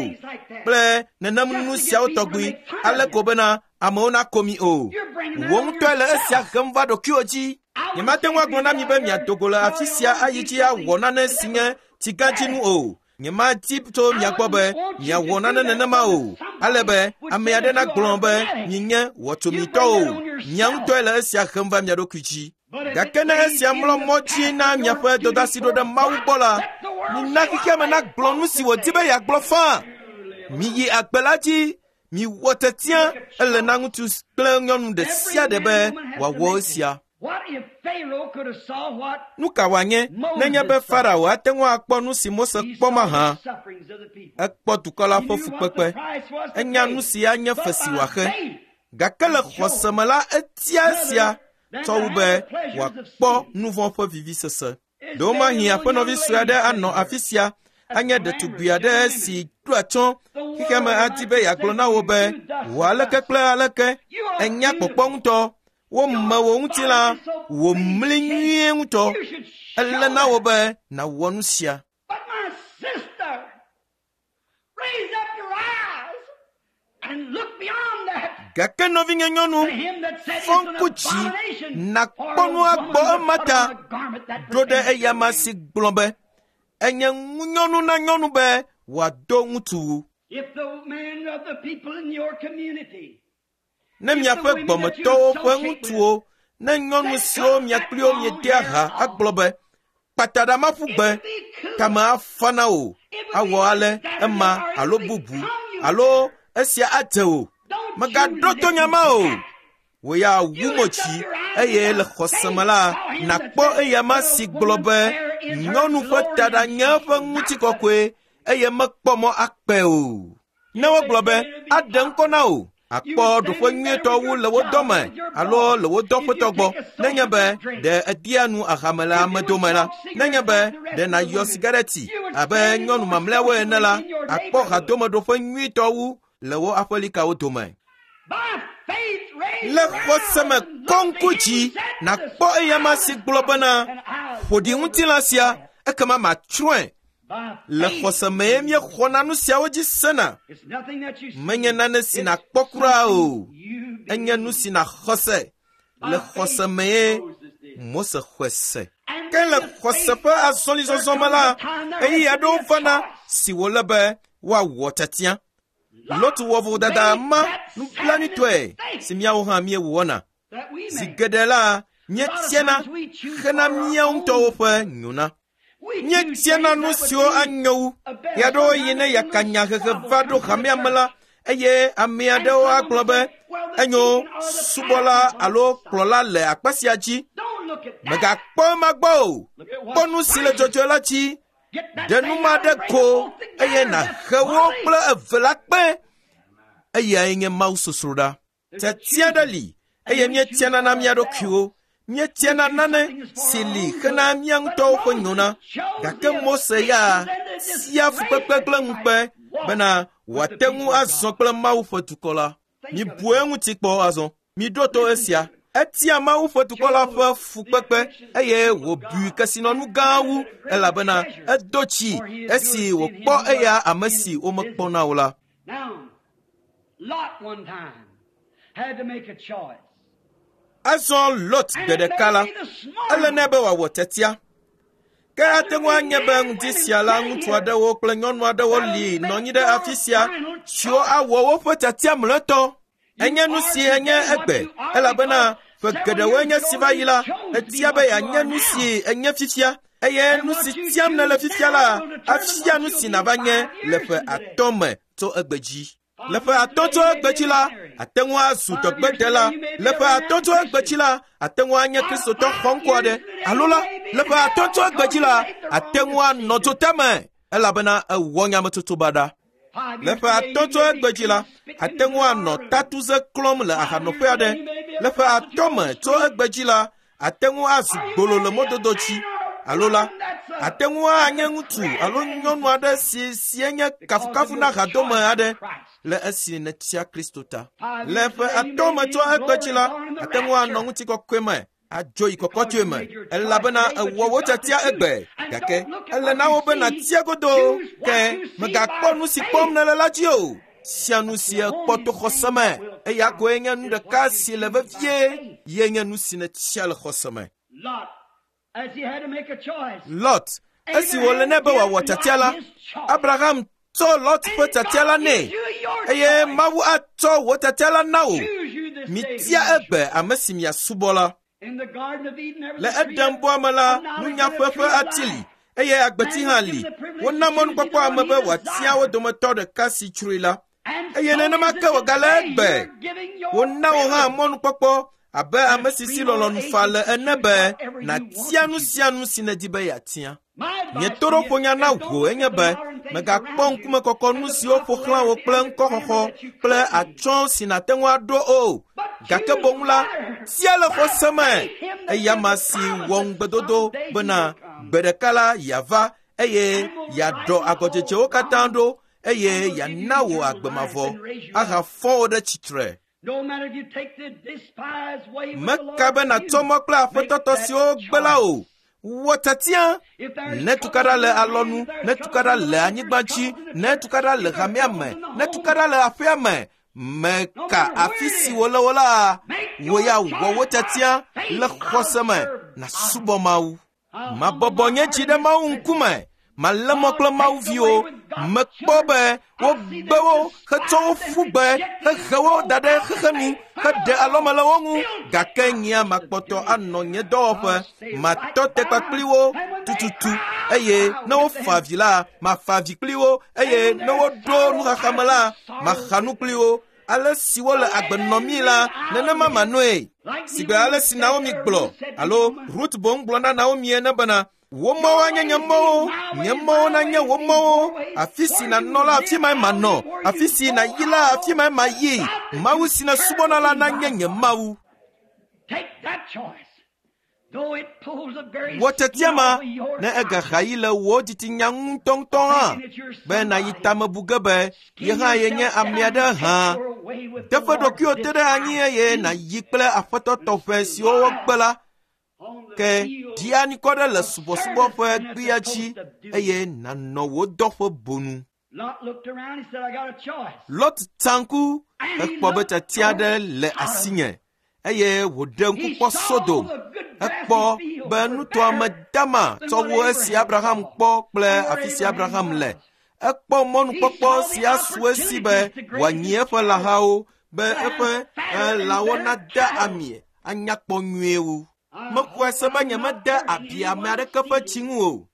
kple nenem nu siawo tɔgbi ale ko bena amewo nako mi o. Wò ŋutɔe le esia hem va ɖokuiwò dzi. Nyemate ŋu agblɔ na mi be miado go le afi sia ayi dzi awɔ nane si nye tsigãdzinu o. Nyemadi tso mia gbɔ be miawɔ nane nenema o, ale be ame aɖe nagblɔ be mienye wɔtsomitɔ o. Mia ŋutɔe le esia hem va mia ɖokui dzi. Gake ne esia mlɔ mɔ dzi na miaƒe dɔdeasi ɖo ɖe Mawu gbɔ la, mina xexea me nagblɔ nu si wòdi be yeagblɔ faa. Miyi agbe la dzi, miwɔ tiatia. Ele na ŋutsu kple nyɔnu ɖe sia ɖe be wòawɔ esia. Nu ka wòanye nenye be Farao ate ŋu akpɔ nu si Mose kpɔ mahã? Ekpɔ dukɔ la ƒe fukpekpe. Enya nu si anye fe si wòaxe. Gake le xɔse me la, etia esia tsɔ wu be wòakpɔ nu vɔ̃ ƒe vivisese. Ɖewomahi aƒenɔvi sue aɖe anɔ afi sia anye ɖetugbi aɖe si ɖo atsyɔ̃ xexeame adi be yeagblɔ na wò be wò aleke kple aleke enya kpɔkpɔ ŋutɔ. Wome wò ŋutilã wò mli nyuie ŋutɔ. Ele na wò be nàwɔ nu sia. But my sister, raise up your eyes and look beyond that. Gake nɔvinye nyɔnu, To him that said fɔ it's an ŋku dzi abomination nàkpɔ for a nu woman agbɔ to put ema on ta a garment that ɖo ɖe pertains to eyama man. si gblɔ be enye ŋunyɔnu na nyɔnu be wòado ŋutsuwu. If the men of the people in your community Ne miaƒe gbɔmetɔwo ƒe ŋutsuwo, ne nyɔnu siwo mia kpli wo miedea ha agblɔ be kpata ɖa maƒu gbe, it would be cool. kame afa na wò, awɔ ale ema alo bubu alo esia adze wò. Don't Mègaɖo you to nya ma o. listen to that. Wò ya wu mo dzi eye le xɔse me la, nàkpɔ eyama si gblɔ be nyɔnu ƒe taɖa nye eƒe ŋutikɔkɔe eye mekpɔ mɔ akpe o. Ne wogblɔ be aɖe ŋkɔ na wò, akpɔ ɖoƒe nyuietɔ wu le wo dɔme alo le wo dɔƒetɔ gbɔ nenye be ɖe edia nu ahame le ame dome la, nenye be ɖe nàyɔ sigareti abe nyɔnu mamlɛawo ene la, akpɔ hadomeɖoƒe nyuietɔ wu le wo aƒelikawo dome. By faith, raise Le your xɔse me eyes and kɔ look ŋku to him dzi who set nàkpɔ the eyama si gblɔ bena and eyes ƒo ɖi ŋutilã sia ekema matsrɔ̃e. By Le faith, xɔse mee míexɔna nu siawo dzi sena. It's nothing that you see. Menye nane si It's nàkpɔ kura o. something you Enye nu believe. si nàxɔ se. Le xɔse mee Mose xɔe se. And Ke le with this xɔse faith, ƒe azɔlizɔzɔ me la, ɣeyiɣi aɖewo vana si wòle be woawɔ tiatia. Lot wɔ vodada ma nublanuitɔe si míawo hã míewɔna. that we Zi make. geɖe la, míetiana hena míawo ŋutɔwo ƒe nyona. We choose Míetiana things nu that would siwo be anyo wu. a better. Ɣeaɖewoɣi ne yakanyahehe va ɖo hamea me la, eye ame aɖewo agblɔ be enyo subɔla alo kplɔla le akpa sia dzi. Don't look at that. Mègakpɔ ema gbɔ o. Look at Kpɔ what's nu si le dzɔdzɔe la dzi. Get that Ɖe thing nu ma out ɖe and bring ko them both together. eye That's nàhe wo folly. kple eve la kpe. Eyae nye Mawu sosroɖa. Tiatia ɖe li eye míetiana na mía ɖokuiwo. Míetiana nane si li hena mía ŋutɔwo ƒe nyona. Gake Mose ya tia fukpekpe kple ŋukpe bena wòate ŋu azɔ kple Mawu ƒe dukɔ la. Mibu eŋuti kpɔ azɔ. Miɖo to esia. Etia Mawu ƒe dukɔ la ƒe fukpekpe eye wòbui kesinɔnu gã wu elabena edo tsi esi wòkpɔ eya ame si womekpɔna o la. Now, Lot one time had to make a choice. Azɔ Lot And gbe it ɖeka la, may be the smart ele nɛ be wòawɔ tiatia. Ke ate ŋu anye be ŋdi sia la ŋutsu aɖewo kple nyɔnu aɖewo li nɔ anyi ɖe afi sia siwo awɔ woƒe tiatia mlɔetɔ. Enye nu si enye egbe elabena ƒe geɖewoe nye si va yi la, etia be yeanye nu si enye fifia eye nu si tiam nèle fifia la afia nu si nàva nye le ƒe atɔ̃ me tso egbe dzi. Le ƒe atɔ̃ tso egbe dzi la, ate ŋu azu dɔgbedela. Le ƒe atɔ̃ tso egbe dzi la, ate ŋu anye kristotɔ xɔŋkɔ aɖe. Alo la, le ƒe atɔ̃ tso egbe dzi la, ate ŋu anɔ dzotame elabena ewɔ nyametsotso baɖa. Five Le years ƒe today, atɔ̃ you tso may be egbe dzi la, spitting ate ŋu anɔ tatuze klɔm le ahanɔƒe aɖe. Le ƒe atɔ̃ me tso egbe dzi la, ate ŋu azu gbolo le mɔdodo dzi. Alo la, ate ŋu anye ŋutsu alo nyɔnu aɖe si si enye kafukafu na hadome aɖe le esi nètia Kristo ta. Le ƒe atɔ̃ me tso egbe dzi la, ate ŋu anɔ ŋutikɔkɔe me adzo yi kɔkɔtsoe me elabena ewɔ wò tiatia egbe gake ele na wo be nàtia godoo ke mègakpɔ nu si kpɔm nèle la dzi o. Sia nu si èkpɔ to xɔse me eya koe nye nu ɖeka si le vevie ye nye nu si nètia le xɔse me. Lot, as he had to make a choice. Lot esi wòle nɛ be wòawɔ tiatia la, Abraham tsɔ Lot ƒe tiatia la nɛ eye Mawu atsɔ wò tiatia la na wò. Choose you this day Mitia whom you egbe ame si miasubɔ la. In the Garden of Eden, there was Le a tree Eden bɔa me la, of knowledge nunya and a ƒe tree ƒe of ati li life. eye agbeti hã li. Wona mɔnukpɔkpɔ ame be wòatia wo dometɔ ɖeka si tsroe la. And Eye so nenema is it ke wògale today. egbe. You're giving your Wona wò hã privilege. mɔnukpɔkpɔ Abe ame si si lɔlɔ̃nu fa le ene be nàtia nu sia nu si nèdi be yeatia. Nye toɖoƒonya na wò enye be mègakpɔ ŋkumekɔkɔ nu siwo ƒo xlã wò kple ŋkɔxɔxɔ kple atsyɔ̃ si nàte ŋu aɖo o. Gake boŋ la, tia le xɔse me. Eya si wɔ ŋugbedodo bena gbe ɖeka la yeava eye yeaɖɔ agɔdzedzewo katã ɖo eye yeana wò agbe mavɔ ahafɔ wò ɖe tsitre. Meka be nàtsɔ mɔ kple aƒetɔtɔ siwo gbe la o. Wɔ tiatia. Ne tukaɖa le alɔnu, ne tukaɖa le anyigba dzi, ne tukaɖa le hamea me, ne tukaɖa le aƒea me, meka afi si wòle wo la, wò ya wɔ wò tiatia le xɔse me nàsubɔ Mawu. Mabɔbɔ nye dzi ɖe Mawu ŋkume. Malé mɔ kple Mawu viwo. Mekpɔ be wogbe wo hetsɔ wo ƒu gbe hehe wo da ɖe xexenu heɖe alɔme le wo ŋu. Gake nyea makpɔtɔ anɔ nye dɔwɔƒe. Matɔ te kpakpli wo tututu eye ne wofa avi la, mafa avi kpli wo eye ne woɖo nuxaxa me la, maxa nu kpli wo. Ale si wole agbe nɔmii la, nenema manɔe. Sigbe ale si Naomi gblɔ alo Ruth boŋ gblɔ na Naomi ene bena wò mɔwo anye nye mɔwo, nye mɔwo nanye wò mɔwo. Afi si nànɔ la, afi mae manɔ. Afi si nàyi la, afi mae mayi. Mawu si nèsubɔna la nanye nye Mawu. Wɔ tiatia ma ne egaxa yi le wò dzitsinya ŋutɔŋutɔ hã be nàyi tamebu ge be ye hã yenye ame aɖe hã. Teƒe ɖokuiwò te ɖe anyi eye nàyi kple aƒetɔ tɔxɛ siwo wogbe la. Ke ɖi anikɔ ɖe le subɔsubɔ ƒe gbea dzi eye nànɔ wò dɔƒe bonu. Lot tsa ŋku hekpɔ be tiatia aɖe le asinye eye wòɖe ŋku kpɔ Sodom. Ekpɔ be nutoa me dama tsɔ wu esi Abraham kpɔ kple afi si Abraham le. Ekpɔ mɔnukpɔkpɔ si asu esi be wòanyi eƒe lãhawo be eƒe lãwo nade ami anyakpɔ nyuie wu. Mexɔe se be nyemede abi ame aɖeke ƒe tsi ŋu o.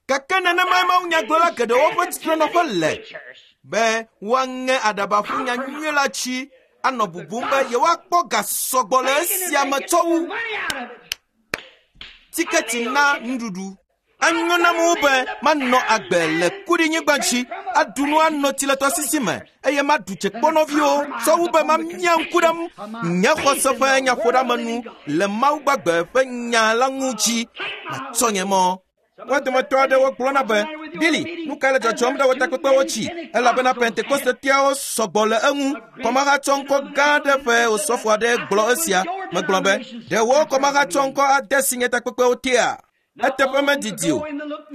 Gake nenemae mawunyagblɔla geɖewo ƒe tsitrenɔƒe le be woaŋe aɖaba ƒu nyanyui la tsi anɔ bubum be yewoakpɔ ga sɔgbɔ le esia me tsɔ wu tiketi na nuɖuɖu. Enyo nam wu be manɔ agbe le kuɖinyigba dzi, aɖu nu anɔ tsi le tɔsisi me eye maɖu tsekpɔnɔviwo tsɔ wu be mamia ŋku ɖe nye xɔse ƒe nyaƒoɖeamenu le Mawu gbagbe ƒe nya la ŋu dzi. Matsɔ nye mɔ. Wo dometɔ aɖewo gblɔna be, Billy, nu ka le dzɔdzɔm ɖe wò takpekpewo tsi? Elabena Pentekostetiawo sɔgbɔ le eŋu. Kɔmahatsɔŋkɔ gã aɖe ƒe osɔfo aɖe gblɔ esia. Megblɔ be, ɖe wò kɔmahatsɔŋkɔ ade si nye takpekpewo tea? Eteƒe medidi o.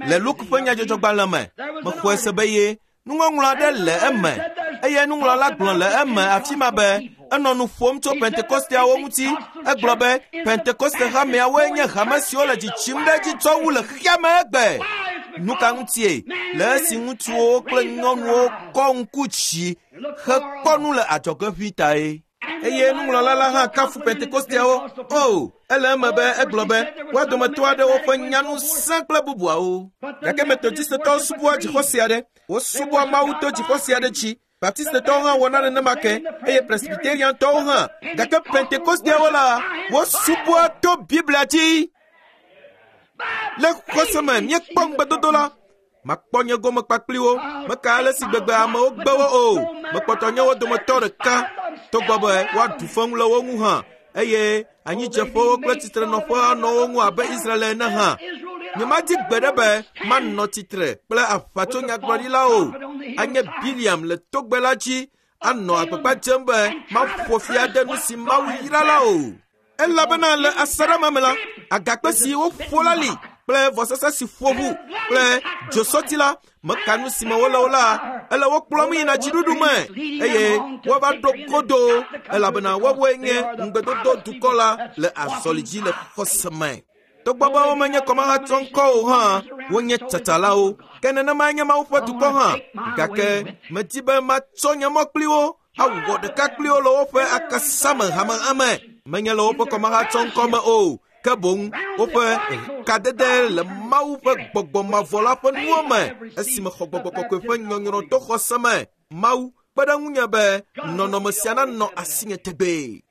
Le Luke ƒe nyadzɔdzɔgbalẽ me, mexɔe se be ye nuŋɔŋlɔ aɖe le eme eye nuŋlɔla gblɔ le eme afi ma be enɔ nu ƒom tso Pentekosteawo ŋuti. Egblɔ be Pentekoste hameawoe nye hame siwo le dzidzim ɖe edzi tsɔ wu le xexea me egbe. Nu ka ŋutie? Le esi ŋutsuwo kple nyɔnuwo kɔ ŋku dzi hekpɔ nu le adzɔge ʋĩ tae. Eye nuŋlɔla la hã kafu Pentekosteawo. O, ele eme be egblɔ be woa dometɔ aɖewo ƒe nyanu sẽ kple bubuawo. Gake Metodistetɔwo subɔa dzixɔse aɖe. Wosubɔa Mawu to dzixɔse aɖe dzi. Baptistetɔwo hã wɔna nenema ke eye Presbyteriantɔwo hã. Gake Pentekosteawo la, wosubɔa to Biblia dzi. Le xɔse me míekpɔ ŋugbedodo la. Makpɔ nye gome kpakpli wo. Meka ale si gbegbe amewo gbe wo o. Mekpɔtɔ nye wo dometɔ ɖeka. Togbɔ be woaɖu feŋu le wo ŋu hã eye anyidzeƒewo kple tsitrenɔƒe anɔ wo ŋu abe Israel ene hã. Nyemadi gbe ɖe be manɔ tsitre kple aʋatsonyagblɔɖilawo o. Anye Biliam le togbe la dzi anɔ agbagba dzem be maƒo fi ade nu si Mawu yra la o. Elabena le asaɖa ma me la, agakpe si woƒo la li kple vɔsasa si ƒo ʋu kple dzosɔti la, meka nu si me wole o la, ele wo kplɔm yina dziɖuɖu me eye woava ɖo godo elabena woawoe nye ŋugbedodo dukɔ la le azɔli dzi le xɔse me. Togbɔ be womenye kɔmahatsɔŋkɔ o hã, wonye tsatsalawo. Ke nenemae nye Mawu ƒe dukɔ hã. Gake medi be matsɔ nye mɔ kpli wo awɔ ɖeka kpli wo le woƒe akasame hamehame. Menye le woƒe kɔmahatsɔŋkɔ me o, ke boŋ woƒe kadede le Mawu ƒe gbɔgbɔ mavɔ la ƒe nuwo me esime xɔ gbɔgbɔ kɔkɔe ƒe nyɔnyrɔ to xɔse me. Mawu kpe ɖe ŋunye be nɔnɔme sia nanɔ asinye tegbee.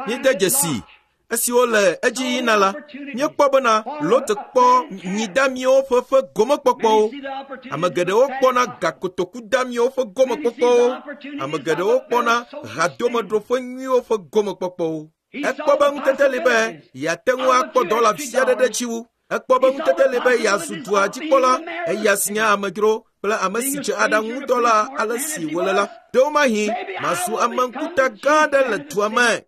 Míede dzesi esiwo le edzi yina la, míekpɔ bena Lot kpɔ nyidamiwo ƒe ƒe gomekpɔkpɔwo. Ame geɖewo kpɔna gakotokudamiwo ƒe gomekpɔkpɔwo. Ame geɖewo kpɔna hadomeɖoƒe nyuiwo ƒe gomekpɔkpɔwo. Ekpɔ be ŋutete li be yeate ŋu akpɔ dɔla vi aɖe ɖe dzi wu. Ekpɔ be ŋutete li be yeazu dua dzikpɔla, eya si nye amedzro kple ame si dze aɖaŋu ŋutɔ la ale si wòle la. Ɖewomahi mazu ame ŋkuta gã aɖe le dua me.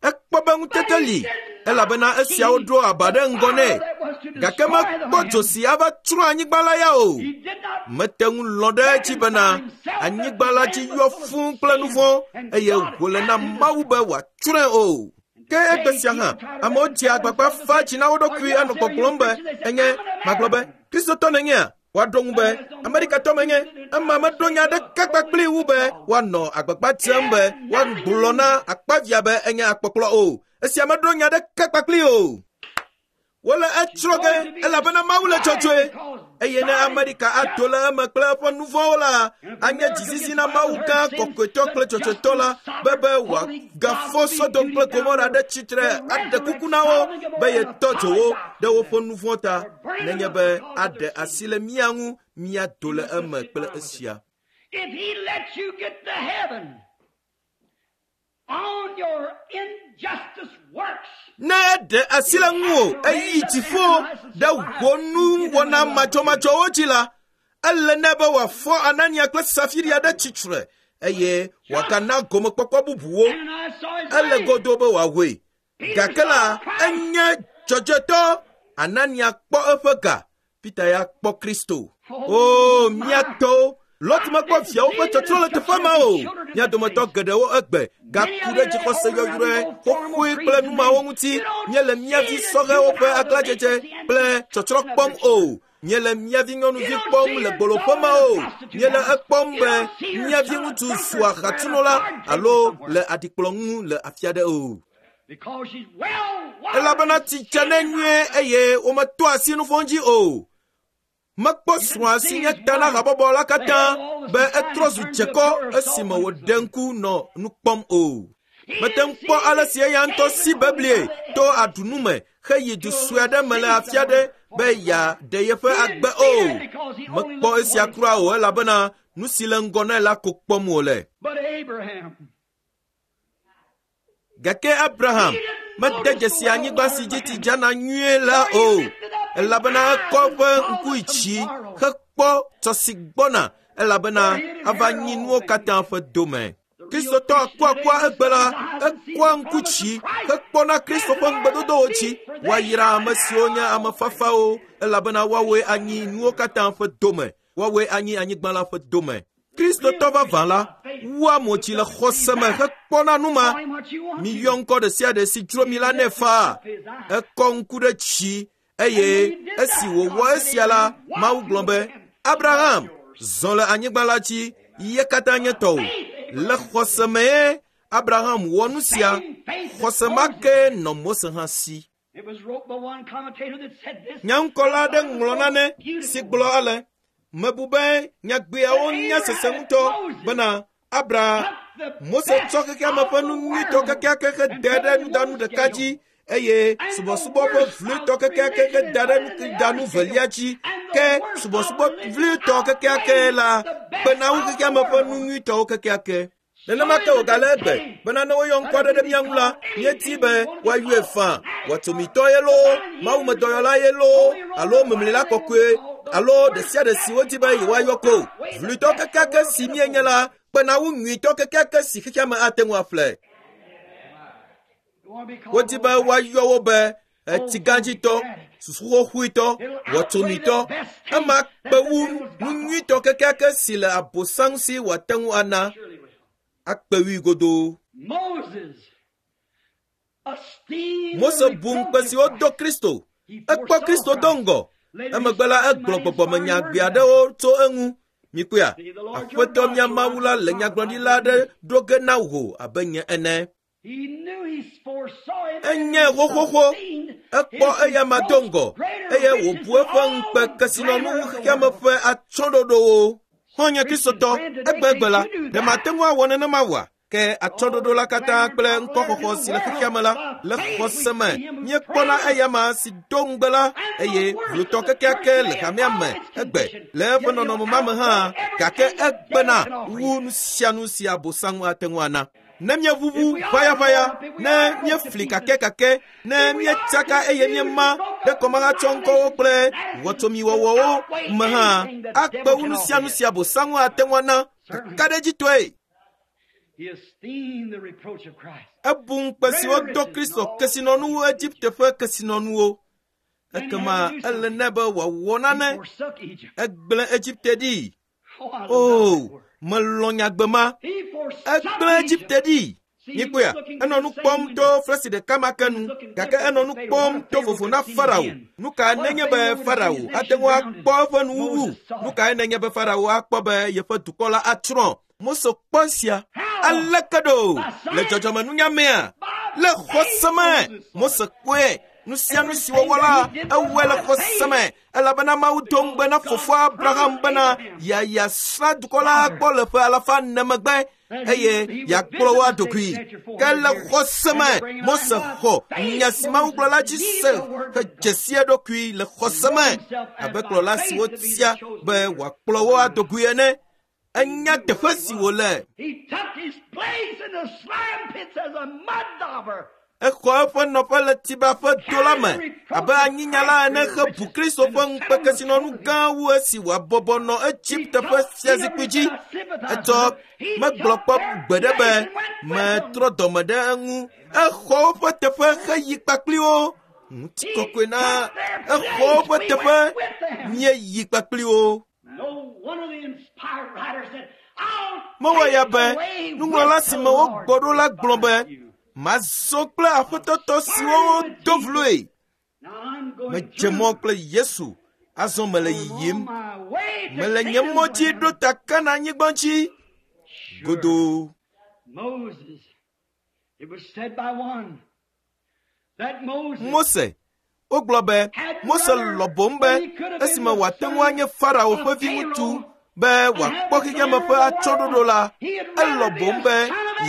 Ekpɔ be ŋutete li elabena esiawo ɖo aba ɖe ŋgɔ nɛ. Gake mekpɔ dzo si ava tsrɔ̃ anyigba la ya o. Mete ŋu lɔ̃ ɖe edzi bena anyigba la dzi yɔ fũu kple nu vɔ̃ eye wòle na Mawu be wòatsrɔ̃e o. Ke egbe sia hã, amewo dzea agbagba fa dzi na wo ɖokui anɔ gbɔgblɔm be enye magblɔ be Kristotɔ nènyea? Woaɖo ŋu be Amerikatɔ menye. Ema meɖo nya ɖeka kpakpli wu be woanɔ agbagba dzem be woagblɔ na akpavia be enye akpɔkplɔ o. Esia meɖo nya ɖeka kpakpli o. Wole etsrɔ̃ ge elabena Mawu le dzɔdzɔe. Eye ne Amerika ato le eme kple eƒe nu vɔ̃wo la, anye dzizizi na Mawu gã kɔkɔetɔ kple dzɔdzɔetɔ la be be wòagafɔ Sodom kple Gomora ɖe tsitre aɖe kuku na wo be yetɔ dzo wo ɖe woƒe nu vɔ̃ ta, nenye be aɖe asi le mía ŋu míado le eme kple esia. If he lets you get to heaven on your injustice works, Ne eɖe asi le ŋuwò eyi dziƒo ɖe wò nuwɔna madzɔmadzɔwo dzi la, ele nɛ be wòafɔ Anania kple Safiria ɖe tsitre eye wòagana gomekpɔkpɔ bubuwo. Ananias saw his Ele money. godo be wòawoe. Gake la, enye dzɔdzɔetɔ. Anania kpɔ eƒe ga. Peter ya kpɔ Kristo. O, mía tɔwo! Lot mekpɔ viawo ƒe tsɔtsrɔ̃ le teƒe ma o. Mía dometɔ geɖewo egbe gaku ɖe dzixɔse yɔyrɔe xoxoe kple numawo ŋuti. Míele mía vi sɔhɛwo ƒe aglãdzedze kple tsɔtsrɔ̃ kpɔm o. Míele mía vi nyɔnuvi kpɔm le gboloƒe ma o. Míele ekpɔm be mía vi ŋutsu zu ahatsunola alo le aɖikplɔ ŋu le afi aɖe o. Because she's well wired. Elabena tsi dze nɛ nyuie eye wometo asi nu vɔ̃ dzi o. Mekpɔ srɔ̃a si nye ta na habɔbɔ la katã be etrɔ zu dzekɔ esime wòɖe ŋku nɔ nu kpɔm o. Mete ŋu kpɔ ale si eya ŋutɔ si beblie to aɖunu me heyi du sue aɖe me le afi aɖe be yeaɖe yeƒe agbe o. Mekpɔ esia kura o elabena nu si le ŋgɔ nɛ la ko kpɔm wòle. But Abraham, Gake Abraham mede dzesi anyigba si dzi tsi dzana nyuie la o, elabena ekɔ eƒe ŋku yi dzi hekpɔ tɔ si gbɔna elabena ava nyi nuwo katã ƒe dome. Kristotɔ akuakua egbe la, ekɔa ŋku dzi hekpɔna Kristo ƒe ŋugbedodowo dzi. Woayra ame siwo nye ame fafawo elabena woawoe anyi nuwo katã ƒe dome. Woawoe anyi anyigba la ƒe dome. Kristotɔ vavã la wua mo dzi le xɔse me hekpɔna nu ma. call him what you want. Miyɔ ŋkɔ ɖe sia ɖe si dzro mi la nɛ faa. Ekɔ ŋku ɖe dzi eye esi wòwɔ esia la, Mawu gblɔ be, Abraham, zɔ le anyigba la dzi, ye katã nye tɔwò. Le xɔse mee Abraham wɔ nu sia. Xɔse ma ke nɔ Mose hã si. It was wrote by one commentator that said this. Nyaŋkɔla aɖe ŋlɔ nane si gblɔ ale, mebu be nyagbeawo nya sese ŋutɔ bena Abraham Mose tsɔ xexeame ƒe nu nyuitɔ kekeake he da ɖe nudanu ɖeka dzi eye subɔsubɔ ƒe vloetɔ kekeake he da ɖe nudanu velia dzi ke subɔsubɔ vloetɔ kekeake la kpena wu xexeame ƒe nu nyuitɔwo kekeake. Nenema ke wògale egbe bena ne woyɔ ŋkɔ aɖe ɖe mía ŋu la, míedi be woayɔe faa. Wɔtsomitɔ ye loo, mawumedɔyɔla ye loo, alo memlila kɔkɔe alo ɖe sia ɖe si wodi be yewoayɔ ko. Vloetɔ kekeake si míenye la kpena wu nyuitɔ kekeake si xexeame ate ŋu aƒle. You want to be called Wodi be woayɔ wo be etsigãdzitɔ, susuxoxoetɔ, wɔtsomitɔ. Ema kpe wu nu nyuitɔ kekeake si le abosam si wòate ŋu ana. Surely will. Akpe wui godoo. Moses esteemed Mose the bu ŋukpe si wodo Kristo. He Ekpɔ foresaw Kristo do Christ. ŋgɔ. Emegbe la egblɔ gbɔgbɔmenyagbe aɖewo tso eŋu. Mikpɔea, Aƒetɔ mía Mawu la le nyagblɔɖila aɖe ɖo ge na wò abe nye ene. He knew he foresaw him. Enye xoxoxo. Ekpɔ eyama do ŋgɔ eye wòbu eƒe ŋukpe kesinɔnu xexeame ƒe atsyɔ̃ɖoɖowo. Xɔ̃nye Kristotɔ, egbegbe la, ɖe mate ŋu awɔ nenema oa? Ke atsyɔ̃ɖoɖo la katã kple ŋkɔxɔxɔ si le xexeame la le xɔse me míekpɔna eyama si do ŋugbe la eye vlotɔ kekeake le hamea me egbe le eƒe nɔnɔme ma me hã gake egbena wu nu sia nu si abosaŋu ate ŋu ana. Ne míeʋuʋu ʋayaʋaya, ne míefli kakɛkakɛ, ne míetsaka eye míema ɖe kɔmahatsɔŋkɔwo kple wɔtsomiwɔwɔwo me hã akpe wu nu sia nu si abosaŋu ate ŋu ana kakaɖedzitɔe. He esteemed the reproach of Christ. Ebu ŋukpe si wodo Kristo kesinɔnuwo Egipte ƒe kesinɔnuwo. Ekema ele nɛ be wòawɔ He nane. forsook Egypt. Egblẽ Egipte ɖi. Oh, I love that O, word. melɔ̃ nyagbe ma. He forsook Egblẽ Egypt. Egipte ɖi. Míekpɔea, enɔ nu kpɔm to flesi ɖeka ma ke nu gake enɔ nu kpɔm to vovo na Farao. Nu kae nenye be Farao ate ŋu akpɔ eƒe nuwuwu? Nu kae nenye be Farao akpɔ be yeƒe dukɔ la atsrɔ̃? Mose kpɔ esia. Aleke ɖo? Le dzɔdzɔmenunya mea? Le xɔse me. Mose kpɔe. Nu sia nu si wòwɔ la, ewɔe le xɔse me elabena Mawu do ŋugbe na fofoa Abraham bena yeayasrã dukɔ la akpɔ le ƒe alafa ene megbe eye yeakplɔ wo aɖokui. Ke le xɔse me, Mose xɔ nya si Mawu gblɔ la dzi se hedze si eɖokui le xɔse me abe kplɔla si wotia be wòakplɔ wo aɖokui ene. Enya teƒe si wòle. He took his place in the slime pits as a mud dauber. Exɔ eƒe nɔƒe le Tiba ƒe do la me abe anyinyala ene hebu Kristo ƒe ŋukpe kesinɔnu gã wu esi wòabɔbɔ nɔ Egipte ƒe fiazikpui dzi. Etsɔ megblɔ kpɔ gbeɖe be metrɔ dɔme ɖe eŋu. Exɔ woƒe teƒe heyi kpakpli wo. Ŋutikɔkɔe na exɔ woƒe teƒe míeyi kpakpli wo. No one of the inspired writers said, I'll Mewɔ ya take be the way nuŋlɔla with si the me Lord wogbɔ ɖo la gblɔ be you. mazɔ kple aƒetɔtɔ siwo wodo vloe. Now I'm going Medze through. mɔ kple Yesu azɔ mele I'm on yiyim. my way to Mele nye Canaan's mɔ dzi land. ɖo ta Kana-nyigba dzi. Sure. Godoo. Moses, it was said by one that Moses Mose, wogblɔ be Mose lɔ̃ boŋ be esime wòate ŋu anye Farao ƒe viŋutsu be wòakpɔ xexeame ƒe atsyɔ̃ɖoɖo la, elɔ̃ boŋ be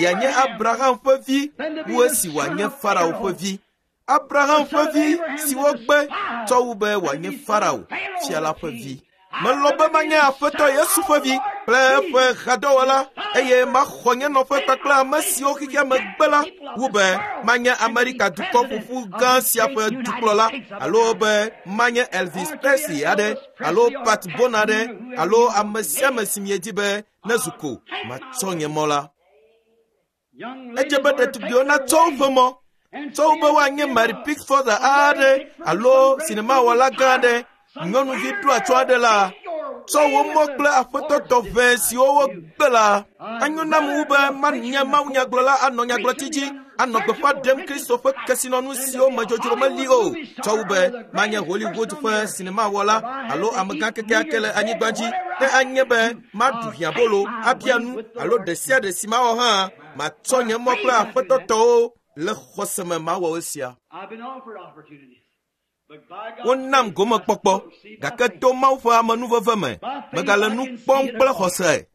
yeanye Abraham ƒe vi wu esi wòanye Farao ƒe vi. Abraham ƒe vi si wogbe tsɔ wu be wòanye Farao fia la ƒe vi. Melɔ̃ be manye Aƒetɔ Yesu ƒe vi kple eƒe hadɔwɔla eye maxɔ nye nɔƒe kpakple ame siwo xexeame gbe la wu be manye Amerika dukɔ ƒoƒu gã sia ƒe dukplɔla alo be manye Elvis Presley aɖe alo Pat Boone aɖe alo ame sia ame si miedi be nezu ko matsɔ nye mɔ la. young Edze ladies be ought to ɖetugbiwo take their natsɔ woƒe way mɔ and tsɔ wu be see woanye if Mary a- Pickford a aɖe Mary Pickford, alo some great sinemawɔla gã aɖe, some nyɔnuvi great ɖo atsyɔ̃ aɖe la, tsɔ wò mɔ kple aƒetɔ tɔʋe siwo wogbe la. Anyo nam wu be manye mawunyagblɔla anɔ nyagblɔtsi dzi, anɔ gbeƒã ɖem Kristo ƒe kesinɔnu siwo me dzodzro meli o, tsɔ wu be manye Hollywood ƒe sinemawɔla alo amegã kekeake le anyigba dzi. Ne anye be maɖu hiãbolo, abia nu alo ɖe sia ɖe si mawɔ hã, matsɔ nye mɔ kple aƒetɔ tɔwo le xɔse me mawɔ esia. I've been offered opportunities. But by God's Wonam grace, gomekpɔkpɔ I still see by gake faith. to Mawu ƒe amenuveve me, megale nu kpɔm kple xɔse.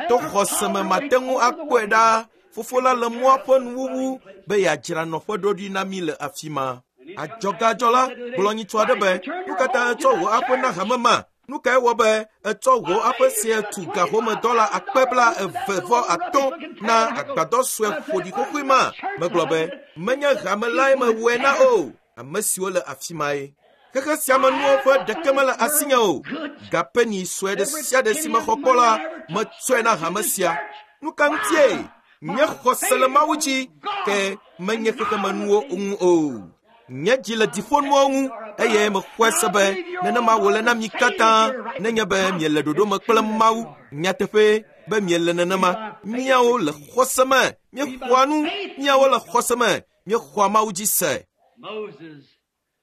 To xɔse me mate ŋu akpɔe ɖaa. Fofo la le mɔa ƒe nuwuwu be yeadzra nɔƒe ɖo ɖi na mí le afi ma. Adzɔgadzɔla gblɔ nyitsu aɖe be, nu ka ta ètsɔ wò aƒe na hame ma? Nu kae wɔ be ètsɔ wò aƒe sia tu gahome dɔla akpe bla eve vɔ atɔ̃ na agbadɔ sue ƒoɖi xoxoe ma? Megblɔ be, menye hame lae mewɔe na o. Ame siwo le afi mae. Xexe sia me nuwo ƒe ɖeke mele asinye o. Gapeni sue ɖe sia ɖe si mexɔ kpɔ la, metsɔe na hame sia. Nu ka ŋutie? Nye xɔse le Mawu dzi ke menye xexemenuwo ŋu o. Nye dzi le dziƒonuwo ŋu eye mexɔe se be nenema wòle na mi katã nenye be miele ɖoɖo me kple Mawu. Nyateƒe be miele nenema. Míawo le xɔse me, míexɔa nu, míawo le xɔse me, míexɔa Mawu dzi se. Moses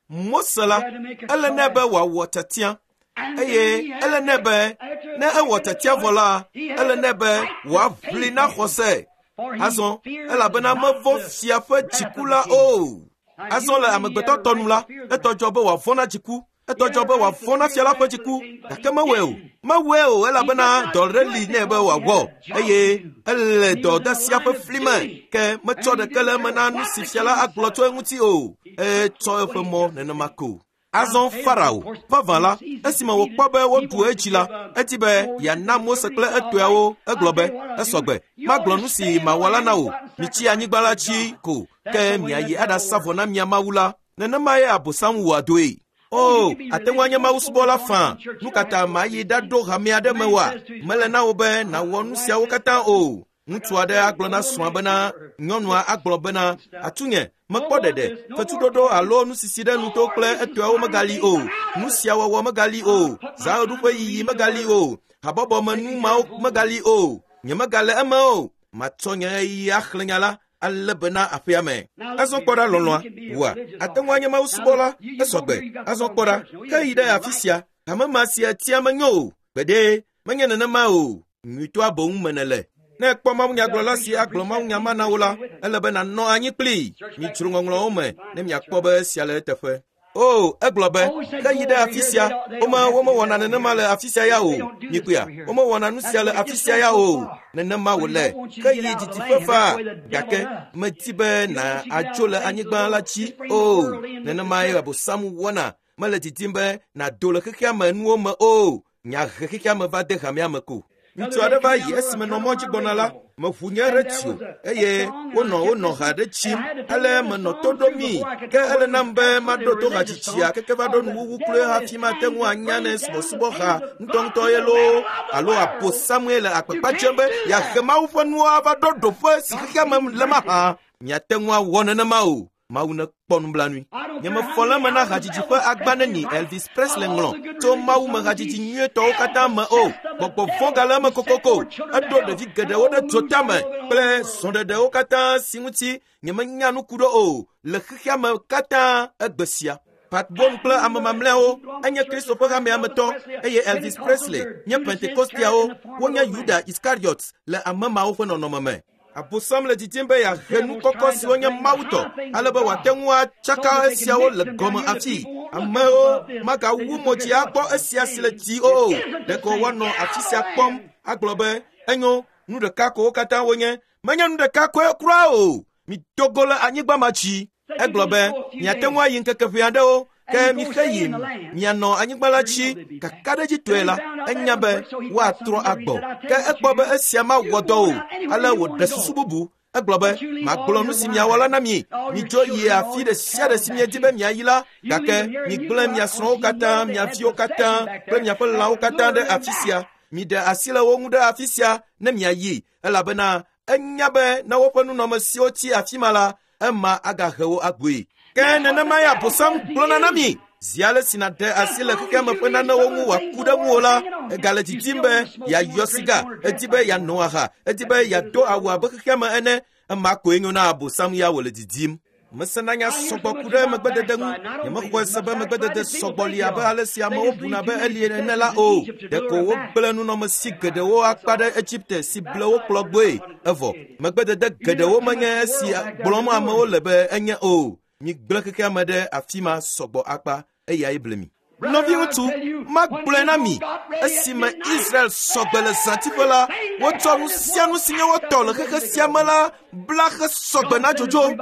Mose la, ele nɛ be wòawɔ tiatia And eye then he had ele nɛ be after ne ewɔ making a tiatia vɔ la, choice, he had ele to nɛ be fight to wòaʋli save na them. xɔse. For he Azɔ feared elabena not mevɔ̃ the fia ƒe wrath of dziku the la king. o. Azɔ le amegbetɔ tɔ nu la, etɔ dzɔ be wòavɔ̃ na dziku. Etɔ dzɔ be wòavɔ̃ na fia la ƒe dziku, gake mewɔe o. Mewɔe o elabena dɔ ɖe li nɛ be wòawɔ eye ele dɔdeasia ƒe fli me ke metsɔ ɖeke le eme na nu si fia la agblɔ tso eŋuti o. Etsɔ eƒe mɔ nenema ko. Azɔ Farao, vavã la, esime wòkpɔ be woɖu edzi la, edi be yeana Mose kple etɔeawo. Egblɔ be, esɔgbe, magblɔ nu si mawɔ la na wò. Mitsi anyigba la dzi ko, ke miayi aɖasa vɔ na mia Mawu la. Nenemae Abosam wɔa dɔe. O, ate ŋu anye mawusubɔla faa. Nu ka ta mayi ɖaɖo hame aɖe me oa? Mele na wò be nàwɔ nu siawo katã o. Ŋutsu aɖe agblɔ na srɔ̃a bena, nyɔnua agblɔ bena, atunye, mekpɔ ɖeɖe, fetuɖoɖo alo nusisi ɖe nuto kple etɔeawo megali o. Nu sia wɔwɔ megali o. Zaɣeɖuƒe yiyi megali o. Habɔbɔme nu mawo megali o. Nye megale eme o. Matsɔ nye ɣeyiɣi axlẽ nya la ale bena aƒea me. Azɔ kpɔ ɖa lɔlɔ̃a, wòa, ate ŋu anye mawusubɔla, esɔgbe. Azɔ kpɔ ɖa, ke yi ɖe afi sia, hame ma sia tia menyo o. Gbeɖe, menye nenema o. Nyuitɔa boŋ me nèle. Ne ekpɔ mawunyagblɔla si agblɔ mawunya ma na wo la, ele be nànɔ anyi kplii. Midzro ŋɔŋlɔwo me ne miakpɔ be esia le eteƒe. O, egblɔ be, ke yi ɖe afi sia, wome womewɔna nenema le afi sia ya o. Mikpɔea, womewɔna nu sia le afi sia ya o. Nenema wòle. Ke yi didiƒe faa, gake medi be na adzo le anyigba la dzi o. Nenemae Abosam wɔna. Mele didim be nàdo le xexea me nuwo me o. Nya he xexea me va de hamea me ko. Ŋutsu aɖe va yi esime nɔ mɔ dzi gbɔna la, meʋu nye retio eye wonɔ wonɔ ha ɖe tsim. Ale menɔ to ɖom mi. Ke ele nam be maɖo to hadzitsia keke va ɖo nuwuwu kloe hafi mate ŋu anya ne subɔsubɔha ŋutɔŋutɔ ye loo alo Abosamue le akpakpa dzem be yeahe Mawu ƒe nuwo ava ɖo ɖoƒe si xexea me le mahã. Miate ŋu awɔ nenema o. Mawu nekpɔ nublanui. Nye mefɔ le eme na hadzidzi ƒe agba neni Elvis Presley ŋlɔ tso Mawu me hadzidzi nyuietɔwo katã me o. Gbɔgbɔ vɔ̃ gale eme kokoko. Eɖo ɖevi geɖewo ɖe dzotame kple srɔ̃ɖeɖewo katã si ŋuti nye menya nu ku ɖo o le xexea me katã egbe sia. Pat Boone kple ame mamlɛawo enye Kristo ƒe hamea me tɔ eye Elvis Presley nye Pentekosteawo wonye Yuda Iskariot le ame mawo ƒe nɔnɔme me. Abosam le didim be yeahe nu kɔkɔ siwo nye Mawu tɔ, ale be wòate ŋu atsaka esiawo le gɔme afi. Amewo magawu mo dzi akpɔ esia si le dzi o. Ɖeko woanɔ afi sia kpɔm agblɔ be enyo, nu ɖeka ko wo katã wonye. Menye nu ɖeka koe kura o. Mido go le anyigba ma dzi. Egblɔ be miate ŋu ayi ŋkeke ʋɛ aɖewo, ke mixe yi mianɔ anyigba la dzi kakaɖedzitɔe la, enya be woatrɔ agbɔ. Ke ekpɔ be esia mawɔ dɔ o, ale wòɖe susu bubu. Egblɔ be, magblɔ nu si miawɔ la na mi. Midzo yi afi ɖe sia ɖe si miedi be miayi la, gake migblẽ mia srɔ̃wo katã, mia viwo katã kple miaƒe lãwo katã ɖe afi sia. Miɖe asi le wo ŋu ɖe afi sia ne miayi, elabena enya be ne woƒe nunɔamesiwo tsi afi ma la, ema agahe wo agbɔe. Ke nenemae Abosam gblɔna na mi. Zi ale si nàɖe asi le xexea me ƒe nanewo ŋu wòaku ɖe ŋuwò la, egale didim be yeayɔ siga, edi be yeano aha, edi be yeado awu abe xexea me ene. Ema koe nyo na Abosam ya wòle didim. Mesena nya sɔgbɔ ku ɖe megbedede ŋu. Nyemexɔe se be megbedede sɔgbɔ li abe ale si amewo buna be eli ene la o. Ɖeko wogblẽ nunɔamesi geɖewo akpa ɖe Egipte si ble wo kplɔ gbɔe. Evɔ megbedede geɖewo menye esi gblɔm amewo le be enye o. Migblẽ xexea me ɖe afi ma sɔgbɔ akpa eyae ble mi. Nɔviŋutsu, magblɔe na mi, esime Israel sɔgbe le zãtiƒe la, wotsɔ nu sia nu si nye wo tɔ le xexe sia me la bla xe sɔgbe na dzodzo.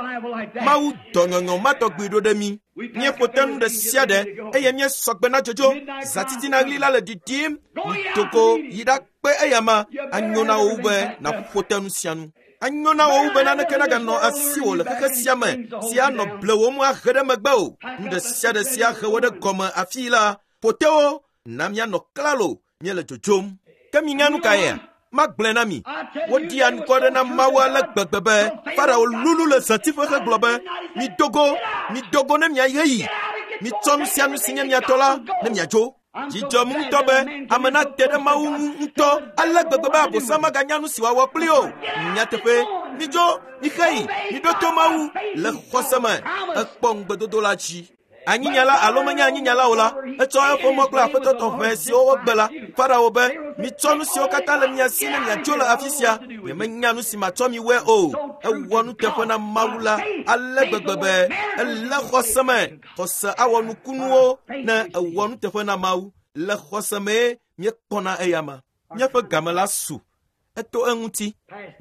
Mawu dɔ nyɔnyɔ ma tɔgbi ɖo ɖe mi. Míeƒo te nu ɖe sia ɖe eye míesɔgbe na dzodzo. Zãtitina ɣli la le ɖiɖim. Mido go yi ɖakpe eyama. Anyo na wò wu be nàƒo te nu sia nu. Anyo na wò wu be naneke naganɔ asiwò le xexe sia me si anɔ blewòm ahe ɖe megbe o. Nu ɖe sia ɖe si ahe wò ɖe gɔme afii la, ƒo te wo na mianɔ klalo míele dzodzom. Ke minya nu kaea? Magblɔe na mi. Woɖi anukɔ ɖe na Mawu ale gbegbe be Farao lulu le zãtiƒe hegblɔ be, mido go, mido go ne miayi ɣeyiɣi. Mitsɔ nu sia nu si nye mia tɔ la ne miadzo. Dzidzɔm ŋutɔ be ame nate ɖe Mawu ŋu ŋutɔ ale gbegbe be Abosam maganya nu si wòawɔ kpli o. Nyateƒe, midzo, mixe yi, miɖo to Mawu le xɔse me. Ekpɔ ŋugbedodo la dzi. Anyinyala alo menye anyinyala o la, etsɔ eƒe mɔ kple aƒetɔ tɔxɛ siwo wogbe la. Farao be, mitsɔ nu siwo katã le mia si ne miatso le afi sia. Nyemenya nu si matsɔ mi wɔe o. Ewɔ nuteƒe na Mawu la ale gbegbe be elé xɔse me. Xɔse awɔ nukunuwo ne ewɔ nuteƒe na Mawu. Le xɔse mee míekpɔna eyama. Míaƒe game la su. Eto eŋuti.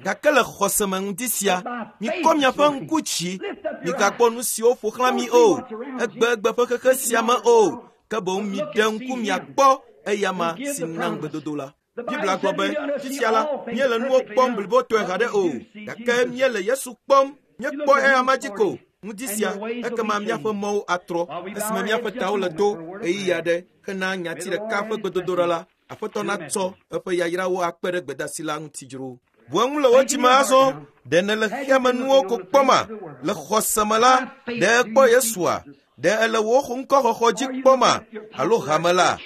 Gake le xɔse me ŋuti sia, mikɔ miaƒe ŋku dzi. Migakpɔ nu siwo ƒo xlã mi o. Egbegbe ƒe xexe sia me o. Ke boŋ miɖe ŋku miakpɔ eyama si na ŋugbedodo la. Biblia gblɔ be fifia la, míele nuwo kpɔm blibotɔe haɖe o. Gake míele Yesu kpɔm. Míekpɔ eyama dzi ko. Ŋdi sia, ekema míaƒe mɔwo atrɔ. Esime míaƒe tawo le to ɣeyiɣi aɖe hena nyati ɖeka ƒe gbedodoɖa la, Aƒetɔ natsɔ eƒe yayrawo akpe ɖe gbedasi la ŋuti dzro. Bu eŋu le wò dzime azɔ, ɖe nèle xexeamenuwo ko kpɔma? Le xɔse me la, ɖe ekpɔ Yesua? Ɖe ele wò ŋkɔxɔxɔ dzi kpɔma? Alo hame la?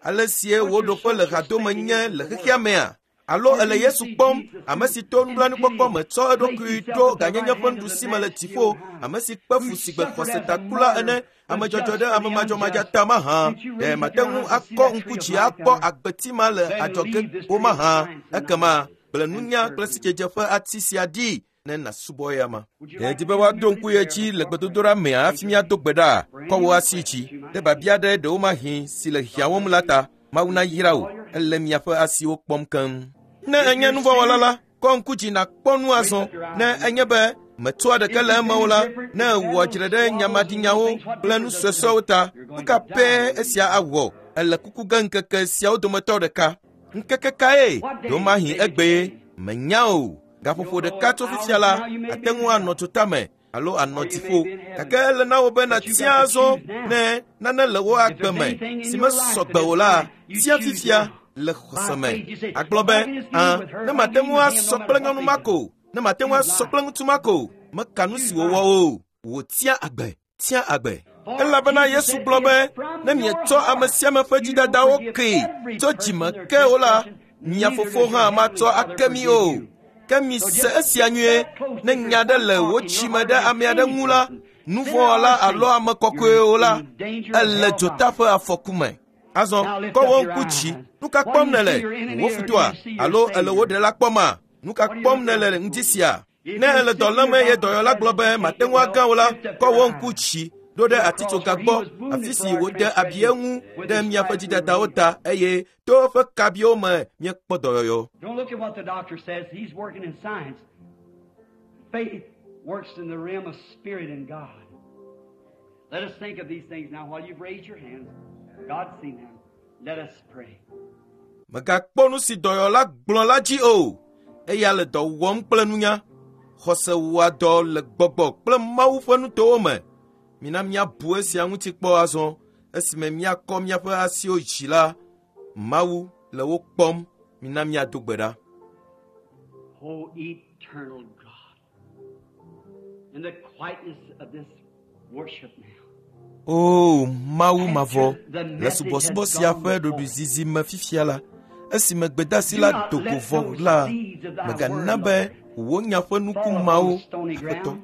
Ale sie wò ɖoƒe le hadome nye le xexea mea? Alo ele Yesu kpɔm, ame si to nublanuikpɔkpɔ me tsɔ eɖokui ɖo ganyenye ƒe nuɖusi me le dziƒo, ame si kpe fu si gbe xɔsetakula ene, ame dzɔdzɔ ɖe ame madzɔmadzɔ ta mahã. Ɖe mate ŋu akɔ ŋku dzi akpɔ agbeti ma le adzɔge o mahã? Ekema gblẽ nunya kple sidzedze ƒe ati sia ɖi ne nàsubɔ eyama. Ɖe di be woaɖo ŋku ye dzi le gbedodoɖa mea hafi míado gbe ɖa? Kɔ wò asi dzi ɖe biabia ɖe ɖewomahi si le hiãwom la ta. Mawu nayra wò. Ele miaƒe asiwo kpɔm keŋ. Ne enye nuvɔ̃wɔla la, kɔ ŋku dzi nàkpɔ nu azɔ. Ne enye be metsɔa ɖeke le eme o la, ne èwɔ dzre ɖe nyamaɖinyawo kple nu suesuewo ta, nu ka pɛ esia awɔ? Ele kuku ge ŋkeke siawo dometɔ ɖeka. Ŋkeke kae? Ɖewomahi egbee. Menya o. Gaƒoƒo ɖeka tso fifia la, ate ŋu anɔ dzotame alo anɔ dziƒo. Gake ele na wò be nàtia azɔ ne nane le wò agbe me si mesɔ gbe o la, tia fifia le xɔse me. Agblɔ be, ã, ne mate ŋu asɔ kple nyɔnu ma ko, ne mate ŋu asɔ kple ŋutsu ma ko, meka nu si wòwɔ o. Wò tia agbe, tia agbe. Elabena Yesu gblɔ be, ne mietsɔ ame sia ame ƒe dzidadawo kee tso dzime ke o la, mia fofo hã matsɔ ake mi o. Ke mise esia nyuie, ne nya ɖe le wò dzime ɖe ame aɖe ŋu la, nuvɔ̃wɔla alo ame kɔkɔe o la, ele dzota ƒe afɔku me. Azɔ, kɔ wò ŋku dzi. Nu ka kpɔm nèle? Wò futɔa? Alo ele wò ɖela kpɔma? Nu ka kpɔm nèle ŋdi sia? Ne ele dɔ lém eye dɔyɔla gblɔ be mate ŋu agã o la, kɔ wò ŋku dzi ɖo ɖe atitsoga gbɔ, afi si wòde abi eŋu ɖe miaƒe dzidadawo ta eye to eƒe kabiwo me miekpɔ dɔyɔyɔ. Don't look at what the doctor says. He's working in science. Faith works in the realm of spirit and God. Let us think of these things now while you've raised your hands. God's seen them. Let us pray. Mègakpɔ nu si dɔyɔla gblɔ la dzi o. Eya le dɔ wɔm kple nunya. Xɔse wɔa dɔ le gbɔgbɔ kple Mawu ƒe nutowo me. Mina míabu esia ŋuti kpɔ azɔ esime míakɔ míaƒe asiwo dzi la, Mawu le wo kpɔm. Mina míado gbe ɖa. O eternal God, in the quietness of this worship now, O Mawu mavɔ, le subɔsubɔ sia ƒe ɖoɖoezizi me fifia la, esime gbedasi la do go vɔ la, mègana be wò nya ƒe nuku mawo, Aƒetɔ,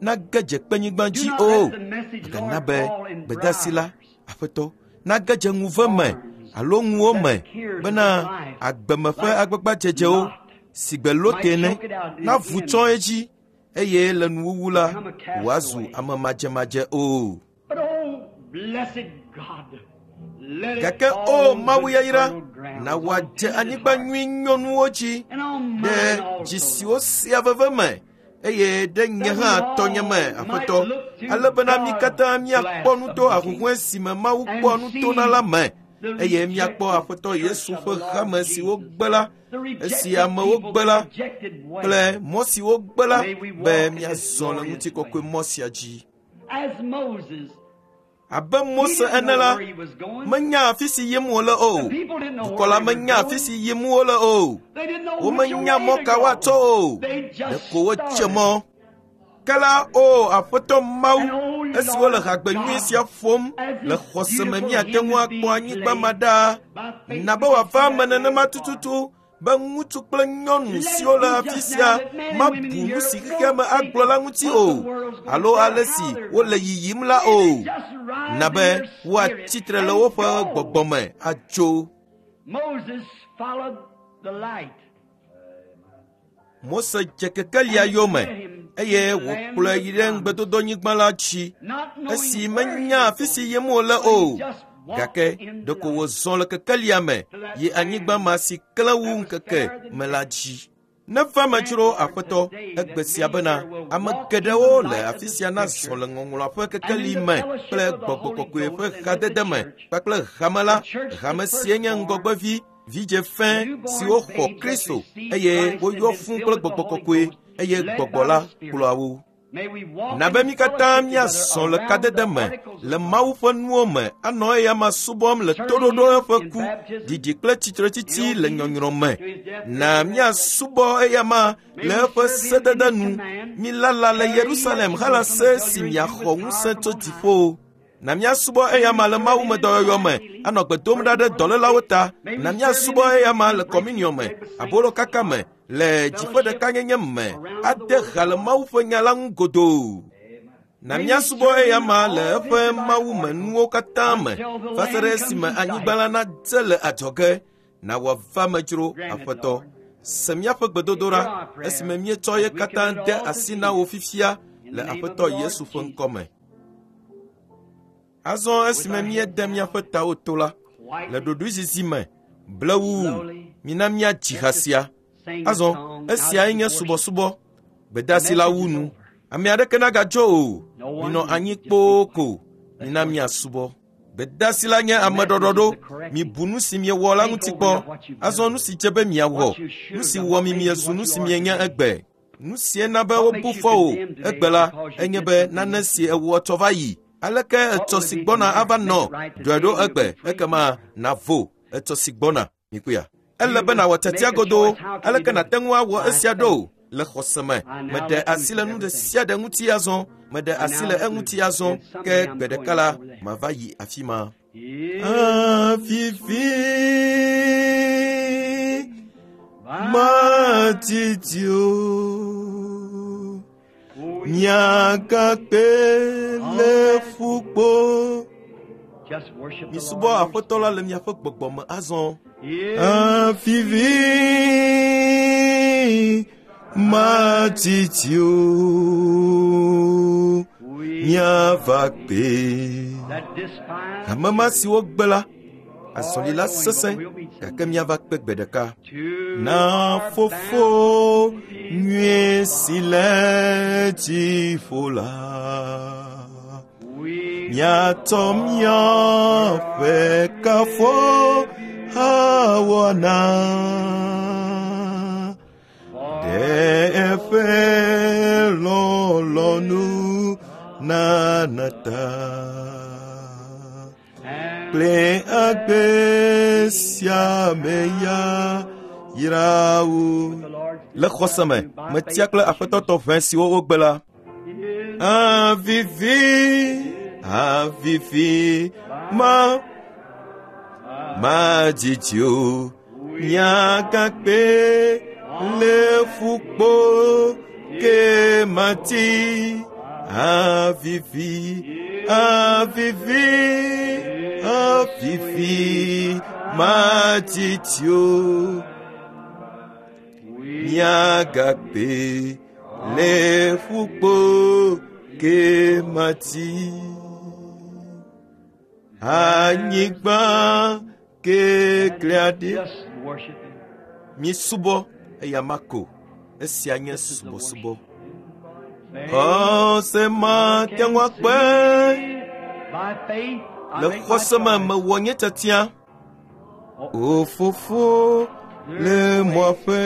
nage dze kpenyigba dzi o. Mègana be gbedasi la, Aƒetɔ, nage dze ŋuve me alo ŋuwo me bena agbeme ƒe agbagbadzedzewo si gbe Lote ene navu tsɔ edzi eye le nuwuwu la wòazu ame madzemadze o. But oh, blessed God, let it Gake fall o on Mawu good yayra, fertile ground, na on wòadze tender anyigba hearts, nyui nyɔnuwo dzi and on ɖe mine also, dzi siwo sea veve me eye ɖe nye hã tɔnye me, Aƒetɔ, ale bena mí katã míakpɔ nu to ahuhɔ̃e si me Mawu kpɔa nu tona la me eye míakpɔ Aƒetɔ Yesu ƒe hame si wogbe la, the esi rejected amewo people, gbe the la rejected way. kple mɔ si wogbe la be míazɔ le ŋutikɔkɔe mɔ sia dzi. As Moses, Abe he Mose didn't ene know la, where he was going. menya afi si yim wòle o. The people didn't know Dukɔ where la they were menya afi going. si yim wole o. They didn't know which Womenya way mɔ to ka go. woatsɔ o. They just Ɖeko wotse started. mɔ. Ke la, o Aƒetɔ Mawu, And oh, esi wole Lord hagbe nyui God, sia ƒom as le this xɔse me beautiful míate hymn ŋu is akpɔ being anyigba ma played, ɖaa. by faith Na be we can wòava see eme that nenema land far. tututu Be ŋutsu kple nyɔnu siwo le afi sia mabu nu si xexea me agblɔ la ŋuti o alo ale si wole yiyim la o. Na be woatsi tre le woƒe gbɔgbɔ me atso. Moses followed the light. Mose dze kekelia yome eye wòkplɔe yi ɖe ŋugbedodonyigba la dzi esi menya afi si yim wòle o. Gake ɖeko wòzɔ le kekelia me yi anyigba ma si klẽ wu ŋkeke me la dzi. Neva me dzro Aƒetɔ egbe sia bena ame geɖewo le afi sia nazɔ le ŋɔŋlɔa ƒe kekeli me kple gbɔgbɔ kɔkɔe ƒe hadede me kpakple hame la, hame sie nye ŋgɔgbevi vidze fẽ siwo xɔ Kristo eye woyɔ fũ kple gbɔgbɔ kɔkɔe eye gbɔgbɔ la kplɔa wo. May we walk Na be in mí katã fellowship míazɔ together le around kadede the me articles le Mawu ƒe nuwo me anɔ eya ma subɔm le toɖoɖo eƒe ku, ɖiɖi kple tsitretsitsi le nyɔnyrɔ me. Na míasubɔ eya ma le eƒe sedede nu. Milala le Yerusalem halase si miaxɔ ŋusẽ tso dziƒo. Na míasubɔ eya ma le Mawu me dɔyɔyɔ me, anɔ gbe dom ɖa ɖe dɔlélawo ta. Na míasubɔ eya ma le kɔminiɔ me, abolokaka me, le dziƒo ɖekanyenye me, ade ha le Mawu ƒe nya la ŋu godoo. Na míasubɔ eya ma le eƒe Mawu me nuwo katã me, va se ɖe esime anyigba la nadze le adzɔge. Na wòava me dzro, Aƒetɔ. Se míaƒe gbedodoɖa esime míetsɔ ye katã de asi na wò fifia le Aƒetɔ Yesu ƒe ŋkɔ me. Azɔ esime míede míaƒe tawo to la, le ɖoɖoezizi me, blewuu, mina míadzi ha sia. Azɔ, Azɔ, esiae nye subɔsubɔ. Gbedeasi la wu nu. Ame aɖeke nagadzo o. Minɔ anyi kpoo ko. Mina míasubɔ. Gbedeasi la nye ameɖɔɖɔɖo. Mibu nu si miewɔ la ŋuti kpɔ. Azɔ nu si dze be miawɔ. Nu si wɔ mi miezu nu si mienye egbe. Nu sie na be wobu fɔ wò egbe la enye be nane si ewɔ tsɔ va yi. Aleke etsɔ si gbɔna ava nɔ ɖɔe ɖo egbe ekema navo etsɔ si gbɔna. Mikuya. Ele be nàwɔ tiatia godoo. Aleke nàte ŋu awɔ esia ɖo? Le xɔse me. Meɖe asi le nu ɖe sia ɖe ŋuti azɔ. Meɖe asi le eŋuti azɔ. Ke gbe ɖeka la, mava yi afi ma. Afifi matiti o, miagakpe le ƒukpo. Misubɔ Aƒetɔ la le miaƒe gbɔgbɔ me azɔ. Afifi matiti o, miava kpe. Hame ma si wogbe la, azɔli la sesẽ gake míava kpe gbe ɖeka. Na fofo nyuie si le dziƒo la, míatsɔ míaƒe kafo awɔna. Ɖe eƒe lɔlɔ̃nu nana ta. Kple agbe sia me ya yra wo. Le xɔse me, metia kple Aƒetɔ tɔ ʋɛ siwo wogbe la. Avivi, avivi, ma, madzidzi o. Miagakpe le ƒukpo ke mati. Avivi, avivi, avivi, madzidzi o. Miagakpe le ƒukpo ke mati. Anyigba keklẽ aɖe. Misubɔ eya ma ko. Esia nye subɔsubɔ. Xɔse mate ŋu akpe. Le xɔse me mewɔ nye tiatia. O fofo le mɔa ƒe.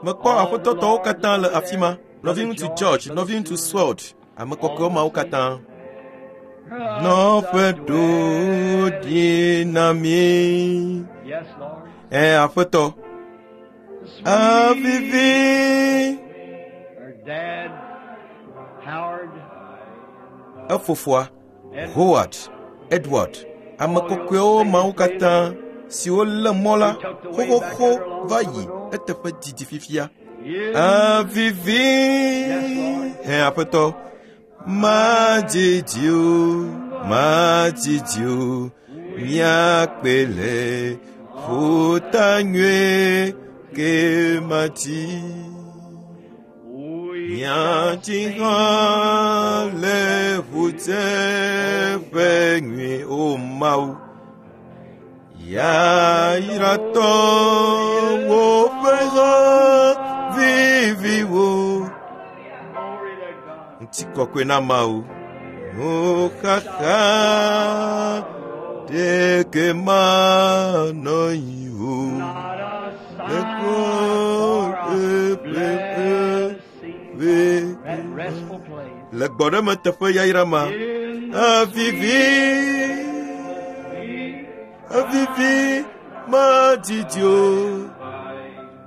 Mekpɔ aƒetɔtɔwo katã le afi ma. Nɔviŋutsu George, nɔviŋutsu Sword, ame kɔkɔewo mawo katã. Nɔƒe ɖo ɖi na mí. Ɛ Aƒetɔ. Avivi. Efofoa, Howard, Edward, ame kɔkɔewo mawo katã siwo lé mɔ la xoxoxo va yi eteƒe didi fifia. Avivi hɛ aƒetɔ madidi o madidi o míakpe le ƒuta nyuie ke mati. Míatsi hã le ƒuteƒe nyuie o Mawu. Yayratɔwo ƒe ha viviwo. Glory to God. Ŋutikɔkɔe na Mawu. Nuxaxa ɖeke manɔ anyi o. Not a Le sign for a blessing. That restful place. Le gbɔɖeme teƒe yayra ma. In the Avivi, avivi madidi o.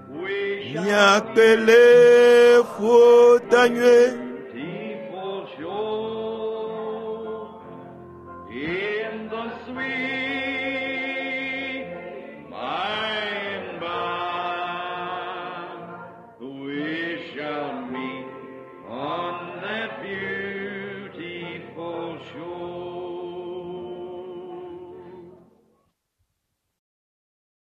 we shall Míakpe le ƒuta nyuie